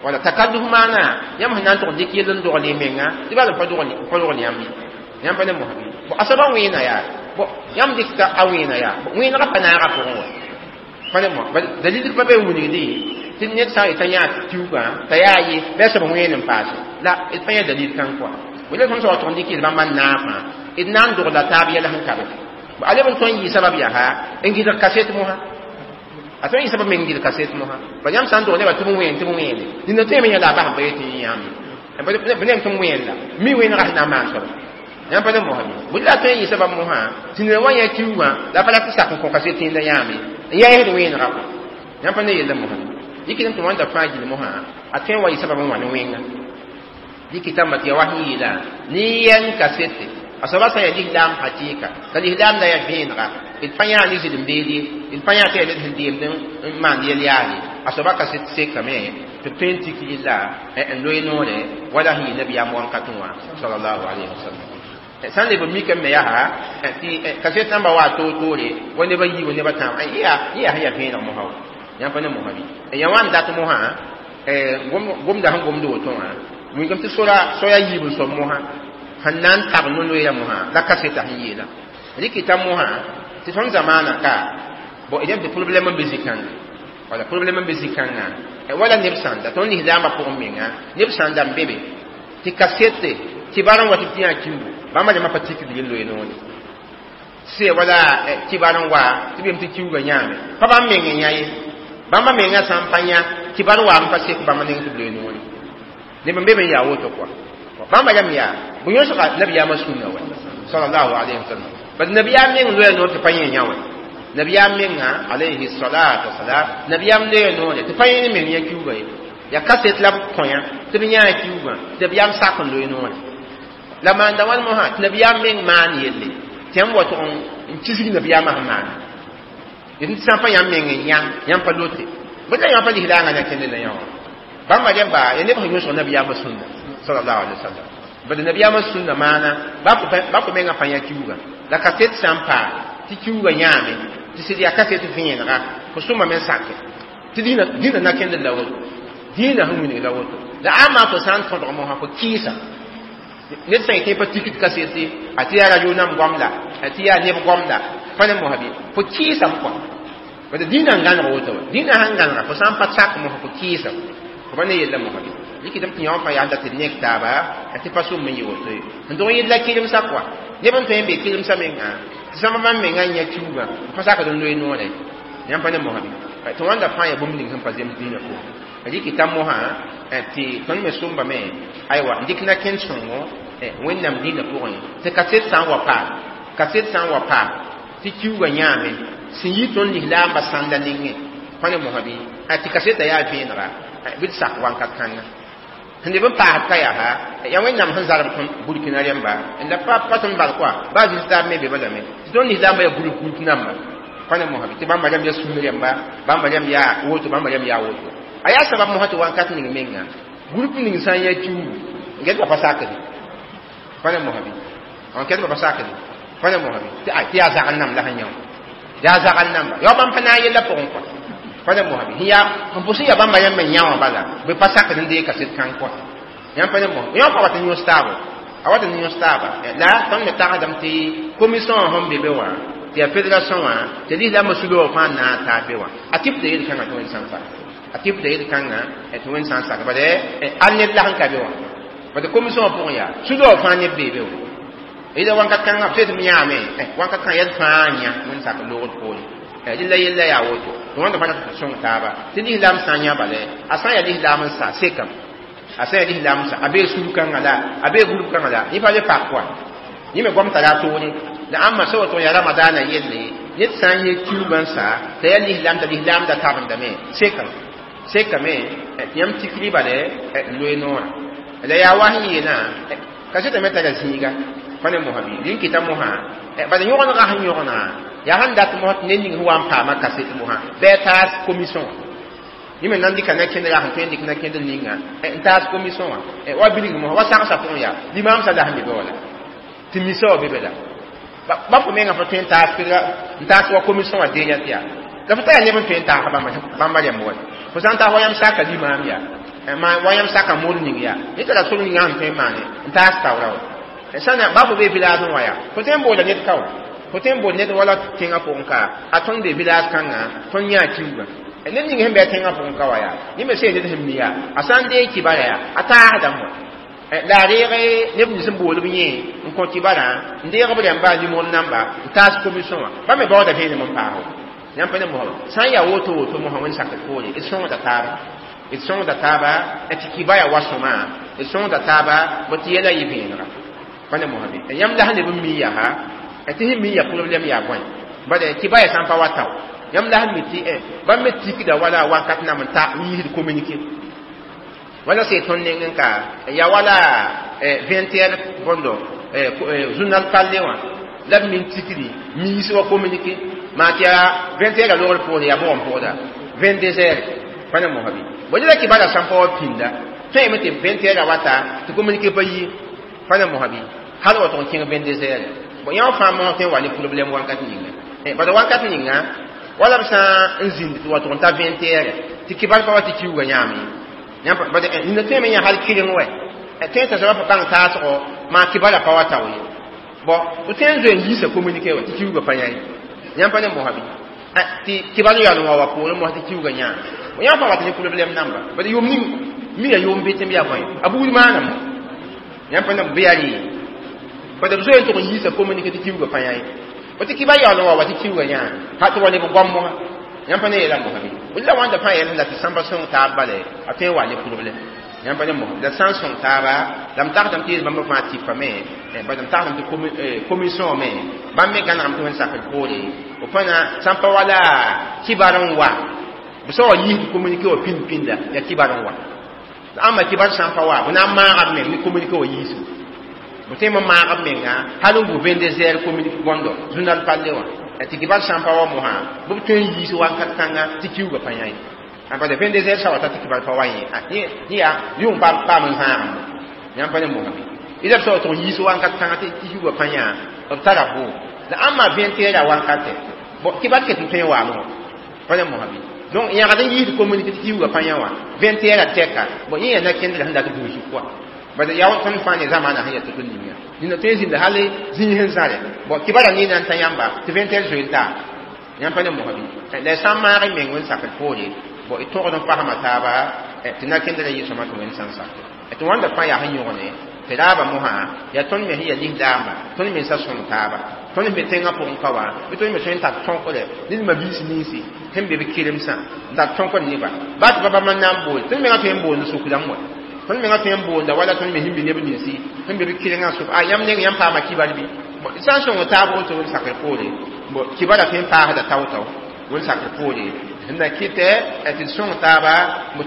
wala takalluf maana yãmb sẽn na n tʋg dɩk yell n dogl y menga tɩ bal n pa dogl yãmb ye yãmb pa ne mosabi bõ a soaba wẽena yaa bõ yãmb dɩkta a wẽena yaa wẽenegã pa naaga pʋgẽ wa pa ne mo dalil pa be n wilgdi tɩ ned sã n yetã yã kiuugã t'a yaa ye bɩ a soab wẽen n paase la d pa yã dalil kãng koa wala tõnd soab tʋg n dɩk yel bãmba n naafã d na n dogla taab yɛl sẽn ka be a leb n tõe n yɩ sabab yaa n gɩdg kaset mosã a tõe n yɩ sabab me n gɩdg kaset mosã ba yãmb sã n dog nebã tɩ b wẽen tɩ b wẽene nina tõe me yã la a bas n pa yetɩ yẽ yãmb ye b nem tɩ m wẽen la mi wẽnega sẽn na n maan soaba yãmb pa ne mosã bɩ la tõe n yɩ sabab mosã tɩ ned wa yã kiuugã la pa la tɩ sak n kõ kaset tẽnda yãame n yaa yẽsd wẽenega kɔ yãmb pa ne yella mosã Dɩkɩdame tɩ wãnda fãa gill mosã a tõe n wa yɩ sabab n wa ne wẽnga. Dɩkɩtãmba tɩ ya wa sẽn yeelã ne yɛng kasete a soaba sã n yaa lislaam hakɩɩka la lislaam la yaa vẽenega d pa yãa ne zɩlem-beed ye d pa yãa tɩ yaa ned sẽn deemd n maand yɛl yaal ye a soaba kaset sekame tɩ b tõe n tik yella n loe noore wala sẽn yɩ nabiyaam wãnkat wã sallallahu alayhi wa sallam. Sã n leb n mikame me yaa tɩ kaset namba wa toor-toore wa neb a yiib neb a tãab yã sẽn yaa vẽeneg mosã wa yãmb pa ne mosã bɩ yã wa n dat mosã gomda sẽn gomd woto wã wilgame tɩ soya yiib n soab mosã sẽn na n tab no-loeera mosã la kaseta sẽn yeela rɩkɩta mosã tɩ tõnd zamaana ka bon d tɩ problɛm n be zĩ-kãnga wala problɛm n be zĩ-kãngã wala neb sãnda tõnd lislaambã pʋgẽ menga neb sãnda n be be tɩ kasete kibar n wa tɩ b tɩ yã kiugu bãmba rãmbã pa tikd yel loe noore sɩ wala kibar n wa tɩ b yem tɩ kiuga yãame pa bãmb meng n yã ye bãmba menga sã n pa yã kibar waam pa sek bãmba neng tɩ b loe noore neb n be be n yaa woto kɔa bãmba rãmb yaa bõ yõsga nabiyaamã sũnna wa sallallahu alayhi wa sallam bad nabiyaam meng loya noor tɩ pa yẽ yã wã nabiyaam menga alayhi salatu wasalam nabiyaam loya noore tɩ pa yẽ meng yã kiuga ye ya kaset la b kõ yã tɩ b yãa kiugã tɩ nabiyaam sak n loe noore la maanda wãn mosã tɩ nabiyaam meng maan yelle tɩ yãmb wa tʋg n kisg nabiyaamã sẽn maana tɩ sã n pa yãmb meng n yã yãmb pa lote bõe la yãmb pa lislaangã na kẽnde la yã wã bãmba rẽmba ya neb sẽn yõsg nabiyaamã sũnna sallallahu alaihi wasallam bad nabiyaamã sũnna maana ba fo menga pa yã kiuga la kaset sã n paa tɩ kiuga yãame tɩ sɩd yaa kaset vẽenega fo sõma me sake tɩ dĩnã na kẽnd la woto dĩinã sẽn wilg la woto la ama fo sã n tõdg mosã fo kɩɩsa ned sã yetẽ pa tikd kasete a tɩ yaa radio nam goamda a tɩ yaa neb goamda pa ne mosã bɩ fo kɩɩsame kɔa bad dĩinã n gãneg woto wa dĩinã sãn gãnega fo sã n pa sak mosã fo kɩɩsame fo pa ne yella mosã bɩ dɩkɩdame tɩ yã fãa yaa dat d nek taaba tɩ pa sʋm n yɩ woto ye n dog yella kɩremsã kɔa neb n tõe n be kɩremsã mengã tɩ sõma bãmb mengã n yã kiuugã pa sakd n loe noore yãmb pa ne mosã bɩ tɩ wãnda fãa yaa bũmb ning sẽn pa zems dĩinã pʋgẽ rɩkɩta mosã tɩ tõnd me sõmbame aywa n dɩk na-kẽnd sõngo wẽnnaam dĩinã pʋgẽ tɩ kaset sã n wa paam kaset sã n wa paam tɩ kiuugã yãame sẽn yi tõnd lislaambã sãnda nengẽ pa ne mosã bɩ tɩ kasetã yaa vẽenega bɩ d sak wãnkat kãnga sẽn leb n paasd ka yaa yaa wẽnnaam sẽn zarb tõnd burkina rẽmba la pa tõnd bal kɔa baa zĩis taab me be balame tɩ tõnd lislaambã yaa groupe groupe namba pa ne mosã bɩ tɩ bãmba rãmb yaa sũur rẽmba bãmba rãmb yaa woto bãmba rãmb yaa woto a yaa sabab mosã tɩ wãnkat ning menga groupe ning sã n yaa kiugu n get pa sakd pa ne mosã bɩ n ket pa sakd pa ne mosã bɩ tɩ yaa zagl namb la sẽn yã yaa zagl namba yaa bãmb pa na n yella pʋgẽ kɔa pa ne mosã bɩ sẽn pʋs n yaa bãmba rãmb n yã wã bala bɩ pa sakd n deeg kaset kãng kɔa yãmb pa ne mosã yã pa wat n yõs taaba a wat n yõs taaba la tõnd me tagsdame tɩ commission sẽn be be wã tɩ yaa fédération wã tɩ lislaambã sulg fãa n na n taab be wã a tɩ b yel-kãngã tɩ wẽnd sã n sak a tɩ b yel-kãngã tɩ wẽnd sã n sak bad al ned la sẽn ka be wã bad commission pʋgẽ yaa sulg fãa neb bee be wã ida wãnkat kãngã b tɩ m yãame wãnkat kãng yɛd fãa n yã wẽnd sak loogd poore rɩla yella yaa woto tɩ wãnda fãa tɩ sõng taaba tɩ lislaam sã n yã bala a sã n yaa lislaam n sa sekame a sã n yaa lislaam n sa a bee sũur kãngã la a bee group kãngã la yẽ pa le pak kɔa yẽ me goam tara a toore la ãmba sã woto yaa ramadaana yelle ned sã n yẽ kiugã n sa t'a yaa lislaam t'a lislaam da tabendame sekame sekame tɩ yãmb tikri bala n loe noorã la yaa wa sẽn yeelã kasetã me tara zĩiga pa ne mosã bɩ rĩn kɩta mosã bala yõgenega sẽn yõgenã yaa sẽn dat mosã tɩ ned ning sẽn wa n paama kaset mosã bɩ a taas commission yẽ me nan dɩka na-kẽndra sẽn tõe n dɩk na-kẽndr ninga n taas commission wã wa bilg mosã wa sagsã pʋgẽ yaa limaamsã la sẽn be be wala tɩ misa wã be be la ba fo menga fa tõe n taas n taas wa commission wã deenya tɩ yaa la fo tara neb n tõe n taas bãmba rãmb wa fo sã n taas wa yãmb saka limaam yaa wa yãmb saka moor ning yaa ned tara sor ninga sẽn tõe n maane n taas taoora wa sãna ba fo bee village n wa yaa fo tõe n boola ned ka wa fo tõe n bool ned wala tẽngã pʋgẽ ka a tõnd be village kãngã tõnd yãa kiugã ned ning sẽn bɩ a tẽngã pʋgẽ ka wa yaa yẽ me sẽn ned sẽn mi yaa a sã n deeg kibara yaa a taasdame wa la a reeg neb nins n bool b yẽ n kõ kibarã n deeg b rãmba a nimr namba n taas commission wã ba me baooda vẽenem n paas yãmb pa ne mosã sã n yaa woto woto mosã wẽnd sakd poore d sõngda taaba d sõngda taaba tɩ kiba yaa wa sõma d sõngda taaba bõ tɩ yɛla yɩ vẽenega pa ne mosã bɩ yãmb la sẽn leb n mi yaa tɩ sẽn mi yaa problɛm yaa bõe bad kiba yaa sã n pa wa tao Yãmb la sẽn mi tɩ bãmb me tikda wala wakat nam n ta n yiisd communiqué wala sɩ tõnd neng n ka ya wala 20 heures bõndo journal parlé wã la b min tikdi miis wa communiqué maa tɩ yaa 20 heures a logr pʋgd yaa bʋg n pʋgda 22 heures pa ne mosã bɩ bo la kibara sãn pa wa pĩnda tõeme tɩ 20 heures a wata tɩ communiqué pa yi pa ne mosã bɩ hal wa tʋg n kẽng 22 heures bon yã fãa mosã tõe n wa ne problème wakat ninga bala wakat ninga wala b sã n zĩnd tɩ wa tʋg n ta 20 heures tɩ kibar pa wa tɩ kiuugã yãame yãmb nina tõeme yã hal kɩreng wɛ tõe t'a soaba pa bãng taasgo maa kibara pa wa tao ye bon b tõe n zoe n yiisa communiqué wa tɩ kiuugã pa yã ye yãmb pa ne mosã bɩ tɩ kibar yaool n wa wa poorẽ mosã tɩ kiuugã yãa yãmb fãa wat ne problème namba bala yʋʋm ning mi ya yʋʋm be tɩ m yaa bõe a buud maanam yãmb pa ne bɩ yaa rɩ bala b zoe n tʋg n yiisa communiqué tɩ kiuugã pa yã ye tɩ kibar yaool n wa wa tɩ kiuugã yãa ha tɩ wa leb goam mosã yãmb pa ne yeela mosã bɩ la wãnda fãa yɛl la tɩ sãmba sõng taab bala a tõe n wa ne problème yãmb pa ne mosã la sã n sõng taaba la m tagsdame tɩ yeel bãmba fãa tipame bala m tagsdame tɩ commission me bãmb me gãnegame tɩ wẽnd sakr poore b fãna sãn pa wala kibar n wa b sã wa yiisd communiqué wã pĩnd pĩnda yaa kibar n wa ãmba kibar sã n pa wa b na n maaga b meng ne communiqué wã yiisgo b tõe n maag b menga hal n gu 22 heures communiqué gondo journal parlé wã tɩ kibar sã n pa wa mosã bɩ b tõe n yiis wakat kãnga tɩ kiuugã pa yã ye bala 22 heures sã wa ta tɩ kibar pa wa yẽ yẽ yaa yʋng paam n zãagem yãmb pa ne mosã bɩ ila b sã wa tʋg n yiis wakat kãnga tɩ kiuugã pa yã b tara vʋʋg la ãmba 20 heures a wakatɛ bon kibar ket n tõe n waame wã pa ne mosã bɩ donc yãgd n yiisd communiqué tɩ kiuugã pa yã wã 20 heures a tɛka bon yẽ yaa na-kẽndrã sẽn dat dũusg pʋga bala yaa tõnd fãa ne zamaana sẽn yaa tɩ tõnd ninga nina tõe n zĩnda hal zĩig sẽn zãre bon kibara nina n ta yãmba tɩ 20 heures zoe n taa yãmb pa ne mosã bɩ la sã n maag y meng wẽn sakr poore bon y tõgd n pasma taaba tɩ na-kẽndrã yɩ sõma tɩ wẽnd sã n sakre tɩ wãnda fãa yaa sẽn yõgne tɩ raaba mosã yaa tõnd me sẽn yaa lislaamba tõnd mensã sõng taaba tõnd me tẽngã pʋgẽ ka wa bɩ tõnd me tõe n tar tõkre ned mabiis ninsi sẽn be b keremsã n tar tõkr neba baa tɩ pa bãmb n na n bool tõnd mengã tõe n boond suk rãmb wa tõnd mengã tõe n boonda wala tõnd me sẽn be neb ninsi sẽn be b kerengã sʋk a yãmb neng yãmb paama kibar bɩ sã n sõng taab woto wẽnd sakr poore kibara tõe n paasda tao-tao wẽnd sakr poore sẽn na kɩtɛ tɩ d sõng taaba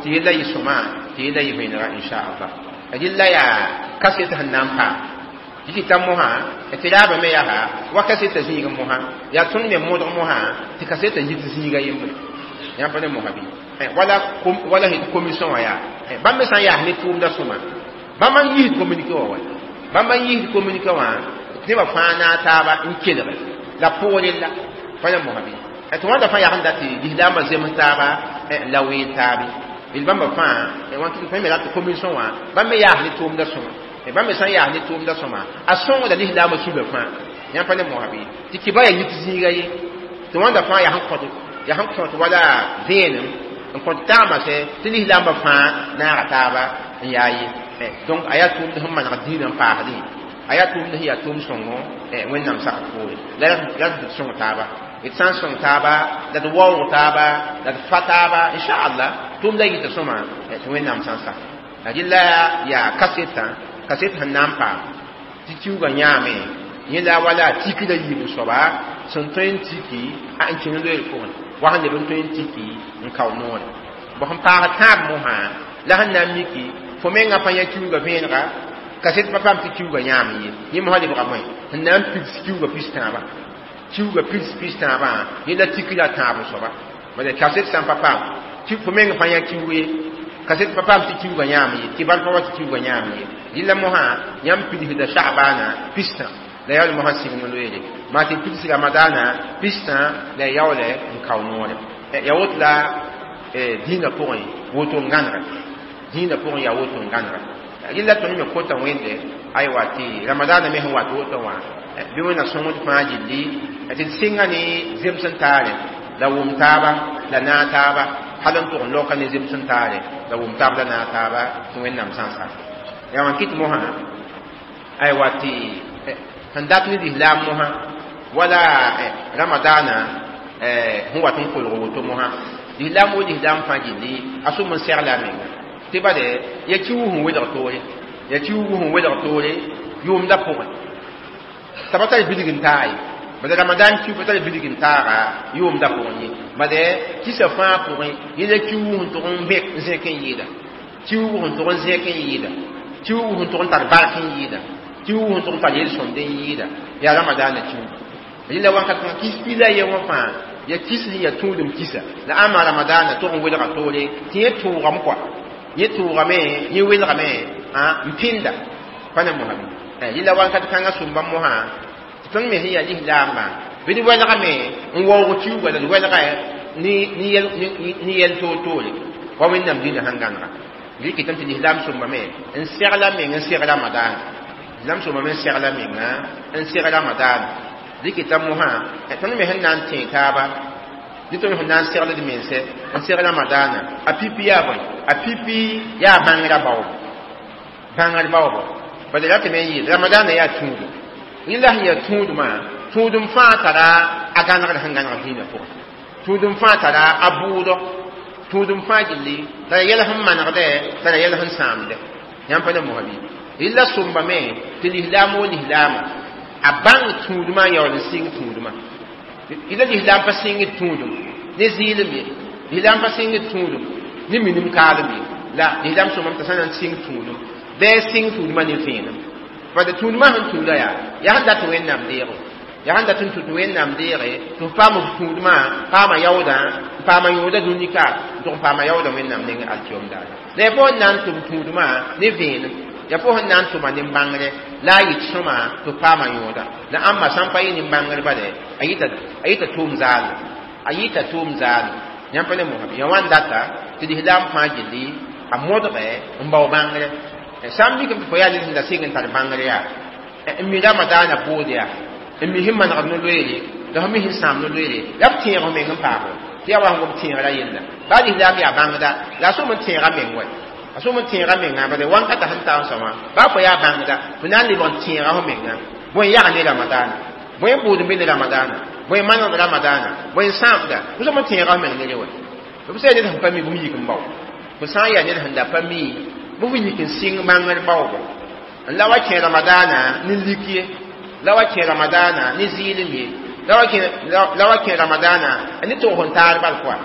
tɩ yella yɩ sõma tɩ yella yɩ vẽenega inchallah rɩlla yaa kaset sẽn na n paam tɩ tɩ ta mosã tɩ raaba me yaa wa kaseta zĩig mosã yaa tõnd me modg mosã tɩ kaseta yit zĩiga yembre yãmb pa ne mosã bɩ wala wala commission wã yaa bãmb me sã n yaas ne tʋʋmda sõma bãmb n yiisd communiqué wã wa bãmb n yiisd communiqué wã tɩ nebã fãa naag taaba n kelge la pʋgrẽ la pa ne mosã bɩ tɩ wãnda fãa yaa sẽn dat tɩ lislaambã zems taaba la weel taabe b bãmba fãa tõe me rat tɩ commission wã bãmb me yaas ne tʋʋmda sõma bãmb me sã n yaas ne tʋʋmda sõma a sõngda lislaambã sugã fãa yãmb pa ne mosã bɩ tɩ kiba yaa yit zĩiga ye tɩ wãnda fãa yaa sẽn kõt wala vẽenem n kõt taama sɛ tɩ lislaambã fãa naaga taaba n yaa ye donc a yaa tʋʋmd sẽn maneg dĩinã n paasdẽ a yaa tʋʋmd sẽn yaa tʋʋm sõngo wẽnnaam sak poore la d sõng taaba d sã n sõng taaba la d waoog taaba la d fa taaba inchallah tʋʋmda yita sõma tɩ wẽnnaam sã n sak la rɩla yaa kasetã kaset sẽn na n paam tɩ kiuugã yãame yẽ la wala tikda yiib soaba sẽn tõe n tiki a n kẽng loeer pʋgẽ wa sẽn leb n tõe n tiki n kao noore bõ sẽn paasd tãab mosã la sẽn na n miki fo mengã pa yã kiuugã vẽenega kaset pa paam tɩ kiuugã yãam ye yẽ mosã lebga moẽ sẽn na n pids kiuugã pis-tãabã kiuugã pids pis-tãabã yẽ la tikra tãab soaba bala kaset sã n pa paam fo meng pa yã kiuug ye kaset pa paam tɩ kiuugã yãam ye tɩ bal pa wa tɩ kiuugã yãam ye rɩla mosã yãmb pidsda sagbaana pistã la yaool mosã sɩng n loeere maa tɩ pids ramadaana pistã la yaoole n kao noore ya woto la dĩinã pʋgẽ woto n gãnega dĩinã pʋgẽ yaa woto n gãnega rɩla tõnd me kota wẽnde aywa tɩ ramadaana me sẽn wat woto wã bɩ wẽnna sõngd fãa gilli tɩ d sɩnga ne zems n taare la wʋm taaba la naag taaba hal n tʋg n laoka ne zems n taare la wʋm taab la naag taaba tɩ wẽnnaam sã n sak yaa wã kɩt mosã aywa tɩ sẽn dat ne lislaam mosã wala ramadaana sẽn wat n kolg woto mosã lislaam wo lislaam fãa gilli a sʋm n segla a menga tɩ bale ya kiuug sẽn welg toore ya kiuug sẽn welg toore yʋʋmda pʋgẽ t'a pa tar bilg n taa ye Bad ramadan kiu pa tar bilg n taaga yʋʋmda pʋgẽ ye. Bad kisa fãa pʋgẽ yẽla kiuug sẽn tʋg n vẽk n zẽk n yɩɩda. Kiuug sẽn tʋg n zẽk n yɩɩda. Kiuug sẽn tʋg n tar bark n yɩɩda. Kiuug sẽn tʋg n tar yel-sõmd n yɩɩda. Yaa ramadaanã kiuuga. Rẽla wakat kãngã kis pila ye wã fãa ya kis sẽn yaa tũudem kisa. La ãmba ramadaanã tʋg n welga toore tɩ yẽ tʋʋgame kɔa. Yẽ tʋʋgame, yẽ welgame n pĩnda. Pa ne mosame. Rẽla wakat kãngã sũmba mosã tɩ tõnd me sẽn yaa lislaambã bɩ d welgame n waoog kiuuga la d welga ne yɛl toor-toore wa Wẽnnaam dĩnã sẽn gãnega. Rɩkɩtame tɩ lislaam sõmbame n segla meng n seg ramadaana. Lislaam sõmbame n segla menga n seg ramadaana. Rɩkɩta mosã tõnd me sẽn na n tẽeg taaba dɩ tõnd sẽn na n segl d mense n seg ramadaana. A pipi yaa bõe? A pipi yaa bãngrã baoobo. Bãngr baoobo. Bala ratame n yɩɩd ramadaana yaa tũudum. Rẽla sẽn yaa tũudmã, tũudum fãa tara a gãnegr sẽn gãneg dĩinã pʋgẽ. Tũudum fãa tara a bʋʋdɔ. Tũudum fãa gilli tara yɛl sẽn manegdɛ, tara yɛl sẽn sãamdɛ. Yãmb pa ne mosã bɩ? Rẽla sõmbame tɩ lislaam o lislaama a bãng tũudmã n yaool n sɩng tũudmã. Rẽla lislaam pa sɩngd tũudum ne zɩɩlem ye. Lislaam pa sɩngd tũudum ne minim kaalem ye. La lislaam sõmbame t'a sã na n sɩng tũudum bɩ a sɩng tũudmã ne vẽenem. Bad tũudmã sẽn tũuda yaa yaa sẽn dat Wẽnnaam deego. Yaa sẽn dat n tũ tɩ Wẽnnaam deege tɩ f paam f tũudmã, paama yaoodã, n paama yõoda dũni ka, n tʋg n paama yaoodã Wẽnnaam nengẽ alkiyom daara. La yaa fo sẽn na n tʋm tũudmã ne vẽenem. Yaa fo sẽn na n tʋma nin-bãngre la a yɩt sõma tɩ f paama yõoda. La ãmba sã n pa yɩ nin-bãngr bale, a yɩta tʋʋm zaal. A yɩta tʋʋm zaal. Yãmb pa ne mosã bɩ? Yaa wãn data tɩ lislaam fãa gilli a modge n bao bãngre. Sã n mikame tɩ fo yaa ned sẽn da sɩng n tar bãngr yaa n mi ramadaanã bood yaa n mi sẽn manegd no-loeere la fo mi sẽn sãam no-loeere la f tẽeg f meng n paamo tɩ yaa wa sẽn gom tẽegrã yella. Baa lislaam yaa bãngda la a sõm n tẽega meng wɛ. A sõm n tẽega mengã bala wãnkata sẽn ta n sõma baa fo yaa bãngda fo na n lebg n tẽega fo menga. Bõe n yag ne ramadaanã, bõe n bood n be ne ramadaanã, bõe n manegd ramadaanã, bõe n sãamda, fo sõm n tẽega fo meng ne re wɛ. B sã yaa ned sẽn pa mi bũmb yik n bao. Fo sã n yaa ned sẽn da pa mi bɩ fo yik n sɩng bãngr baoobo. N la wa kẽ ramadaanã ne lik ye, la wa kẽ ramadaanã ne zɩɩlem ye, la wa kẽ ramadaanã ne tʋgs n taar bal pʋa.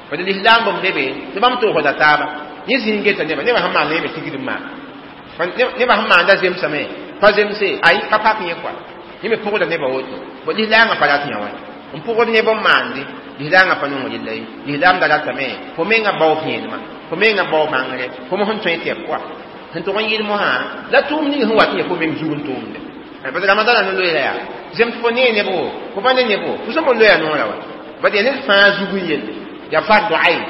Bad lislaam bãmb lebe tɩ bãmb tʋgsda taaba. Yẽ zĩig geta nebã, nebã sẽn maan yẽ me tigd n maan. Nebã sẽn maanda zemsame, pa zemse, ay pa pak yẽ kɔa. Yẽ me pʋgda nebã woto. Bõ lislaangã pa rat yã wã. N pʋgd neb n maande, lislaangã pa nong rella ye. Lislaam da ratame, fo menga bao vẽenemã, fo menga bao bãngre, fo mos n tõe tɩ pʋa. Sẽn tʋg n yɩl mosã, la tʋʋm ning sẽn wat n yaa fo meng zug n tʋʋmde. Bad ramadaanã no-loeera yaa zem tɩ fo nee nebo, fo pa ne nebo, fo sõm n loya noorã wa. Bad yaa ned fãa zug n yelle. Yaa fardu ayn.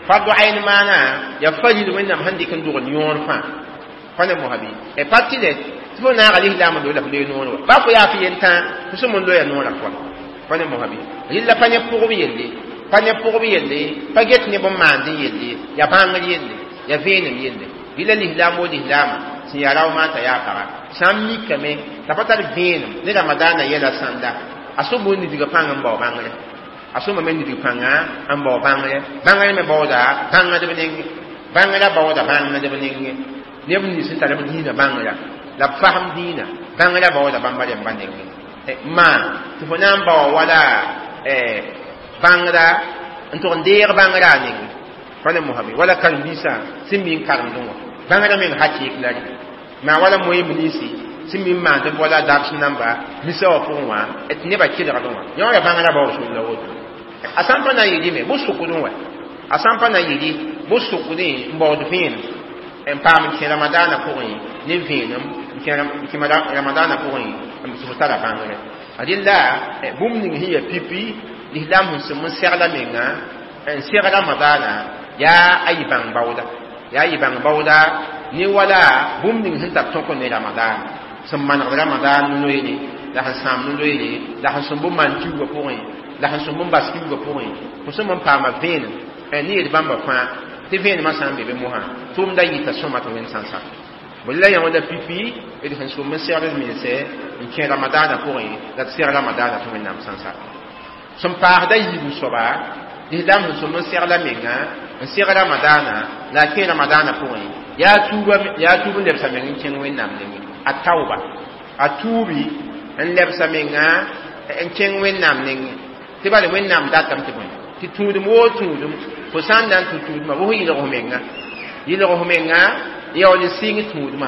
Fardu ayn maana yaa faril Wẽnnaam sẽn dɩk n dogl yõor fãa. Pa ne mosã bɩ? Pa tɩ lɛ tɩ fo naaga lislaam n loe la fo loe noor wa. Baa fo yaa fo yentã, fo sõm n loya noorã pʋa. Pa ne mosã bɩ? Rɩlla pa ne pʋgb yelle, pa ne pʋgb yelle, pa get neb n maand n yelle, yaa bãngr yelle, yaa vẽenem yelle. Rɩla lislaam o lislaama sẽn yaa rao maanta yaa paga sã n mikame t'a pa tar vẽenem ne ramadaanã yɛla sãnda, a sõm n nidga pãng n bao bãngre. A sõmame nidg pãnga n bao bãngre. Bãngre me baooda bãngdb nengẽ. Bãngrã baooda bãngdb nengẽ. Neb nins sẽn tar b dĩinã bãngrã la b fasem dĩinã bãngrã baooda bãmba rẽmbã nengẽ. Maan tɩ fo na n baoa wala bãngra n tʋg n deeg bãngrã a nengẽ. Pa ne mosã bɩ? Wala karen-biisã sẽn mi n karemdẽ wã bãngrã meng hakɩɩk la rẽ. Maa wala moyen ninsi sẽn mi n maand b wala dabs namba misa wã pʋgẽ wã tɩ nebã kelgdẽ wã. Yẽ wã yaa bãngrã baoog sor la woto. A sã n pa na n yɩ rɩme bʋ sʋkdẽ wã. A sã n pa na n yɩ rɩ bʋ sʋkdẽ n baood vẽenem n paam n kẽ ramadaanã pʋgẽ ne vẽenem n kẽ ramadaanã pʋgẽ tɩ fo tara bãngre. Rẽla bũmb ning sẽn yaa pipi lislaam sẽn sẽm n segla menga n seg ramadaanã yaa a yɩ bãng baooda. Yaa yɩ bãng baooda ne wala bũmb ning sẽn tar tõk ne ramadaan sẽn manegd ramadaan noeere la sẽn sãam no-loeere la sẽn sõmb n maan kiuugã pʋgẽ la sẽn sõmb n bas kiuugã pʋgẽ fo sõm n paama vẽenem ne yel bãmba fãa tɩ vẽenemã sã n be be mosã tʋʋmda yɩta sõma tɩ Wẽnd sã n sak. Bõe la yã wã la pipi d sẽn sõm n segd d mense n kẽ ramadaanã pʋgẽ la d seg ramadaanã tɩ Wẽnnaam sã n sak. Sẽn paasda yiibu soaba lislaam sẽn sõm n segla menga n seg ramadaanã la a kẽ ramadaanã pʋgẽ yaa tuub n lebsa meng n kẽng Wẽnnaam nengẽ. A tauba a tuubi n lebsa menga N kẽng Wẽnnaam nengẽ tɩ bala Wẽnnaam datame tɩ bõe tɩ tũudum woo tũudum fo sã n na n tũ tũudmã bɩ fo yɩlg f menga, yɩlg f menga n yaool n sɩng tũudmã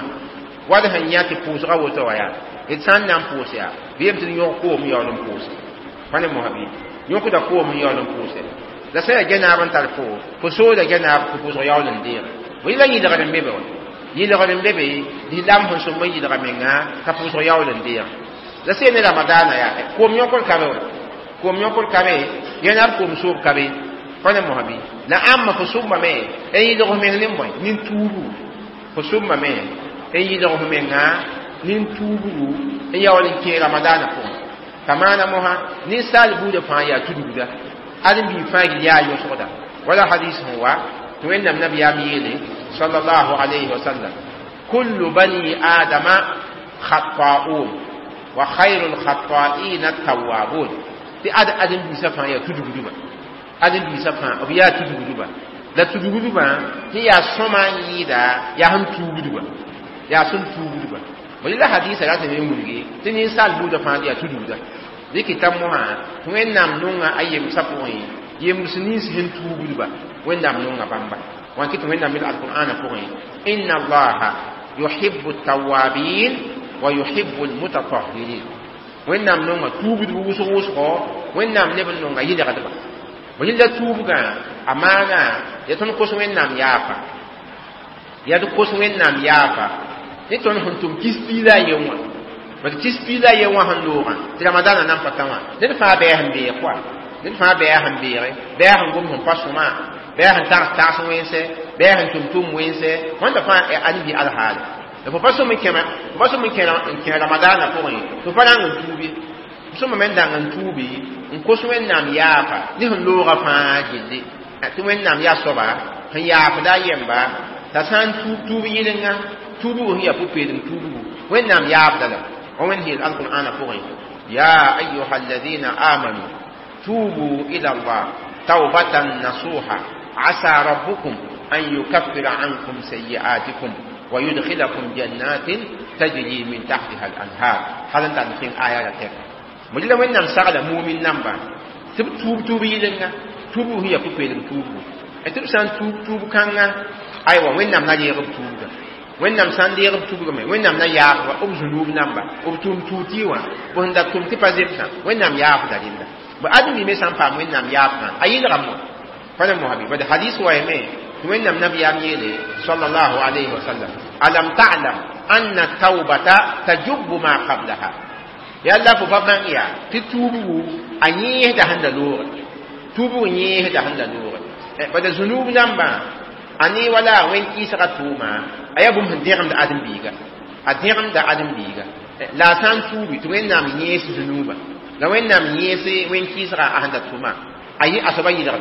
wad sẽn yã tɩ pʋʋsga woto wã yaa d sã n na n pʋʋs yaa bɩ yem tɩ d yõg koom n yaool n pʋʋse pa ne mosã bɩ yõkda koom n yaool n pʋʋse la sã yaa gɛnaab n tar fo fo sooda gɛnaab tɩ pʋʋsg yaool n deege bõe la yɩlgr n be be wa yɩlgr n be be lislaam sẽn sõm n yɩlga menga t'a pʋʋsg yaool n deege la sẽn ne Ramadaana yaa koom yõkr ka be wa koom yõkr ka be gɛnaab koom soob ka be pa ne mosã bɩ la ãmba fo sʋmbame n yɩlg f meng ne bõe nin-tuubu fo sʋmbame n yɩlg f menga nin-tuubgu n yaool n kẽ Ramadaana pʋgẽ ka maana mosã ninsaal buudã fãa yaa tudgda ãdem-biig fãa gil yaa yõsgda wala hadis sẽn wa tɩ Wẽnnaam nabiyaam yeele sallallahu alayhi wa sallam: kullu bani adama khata'un wa khayrul khata'ina tawwabun. Tɩ ad ãdem-biisã fãa yaa tudgdba ãdem-biisã fãa b yaa tudgdba la tudgdbã tɩ yaa sõma n yɩɩda yaa sẽn tuubdba yaa sẽn tuubdba bõe la hadisa ratame n wilgi tɩ ninsaal buudã fãa yaa tudgda dɩkɩ t'a mosã tɩ Wẽnnaam nonga a yemsã pʋgẽ yems nins sẽn tuubdba Wẽnnaam nonga bãmba wã kɩ tɩ Wẽnnaam mil alqur'ana pʋgẽ: inna Allaha yuhibbu tawabin wa yuhibbu almutatahhirin. Wẽnnaam nonga tuubdb wʋsg wʋsgo Wẽnnaam neb n nonga yɩlgdba bõe la tuubgã a maana ya tõnd kos Wẽnnaam yaafa yaa d kos Wẽnnaam yaafa ne tõnd sẽn tʋm kis piila a yen wã bad kis piila a yen wã sẽn loogã tɩ Ramadaanã nan pa tã wã ned fãa bɛɛ sẽn beeg koa ned fãa bɛɛ sẽn beege bɛɛ sẽn gom sẽn pa sõma bɛɛ sẽn tags tags wẽnse bɛɛ sẽn tʋm tʋm wẽnse wãnda fãa ãdem-bi alhaale la fo pa sõm n kẽma fo pa sõm n kẽ Ramadaanã pʋgẽ tɩ fo pa rãng n tuubi sõma me n dãng n tuubi n kos Wẽnnaam yaafa ne sẽn loogã fãa gilli tɩ Wẽnnaam yaa soaba sẽn yaafda a yemba t'a sã n tuub tuub yɩlenga tuubgo sẽn yaa pʋ-peelem tuubgo Wẽnnaam yaafda la wa Wẽnd yeel alqur'ana pʋgẽ: ya ayuha alladina amanu tubu ila Allah taubatan nasuha asa rabbukum an yukaffira ankum sayi'atikum wa yudkhilakum jannatin tajri min tahtiha al-anhar hal n tar n kẽng aya la tɛka mo la Wẽnnaam sagla mumin namba tɩ b tuub tuub yɩlenga tuubg sẽn yaa pʋ-peelem tuubgo tɩ b sã n tuub tuub kãnga aywa Wẽnnaam na reeg b tuubga Wẽnnaam sã n deeg b tuubgame Wẽnnaam na yaafba b zũnuub namba b tʋʋm tuut wã b sẽn da tʋm tɩ pa zemsã Wẽnnaam yaafda rẽnda bõ ãdem-bi me sã n paam Wẽnnaam yaafgã a yɩlgame wã pa ne mosã bɩ bad hadis wa yame tɩ Wẽnnaam nabiyaam yeele sallallahu alayhi wa sallam: alam ta'lam anna taubata tajubbu ma qablaha yalla fo pa bãng yaa tɩ tuubgu a yẽesda sẽn da loogre tuubg yẽesda sẽn da loogre bada zũnuub nambã a ne wala wẽn-kɩɩsga tʋʋma a yaa bũmb sẽn dẽgemda ãdem-biiga a dẽgemda ãdem-biiga la a sã n tuubi tɩ Wẽnnaam yẽes zũnuubã la Wẽnnaam yẽes wẽn-kɩɩsga a sẽn da tʋma a yẽ a soaba yɩlgda.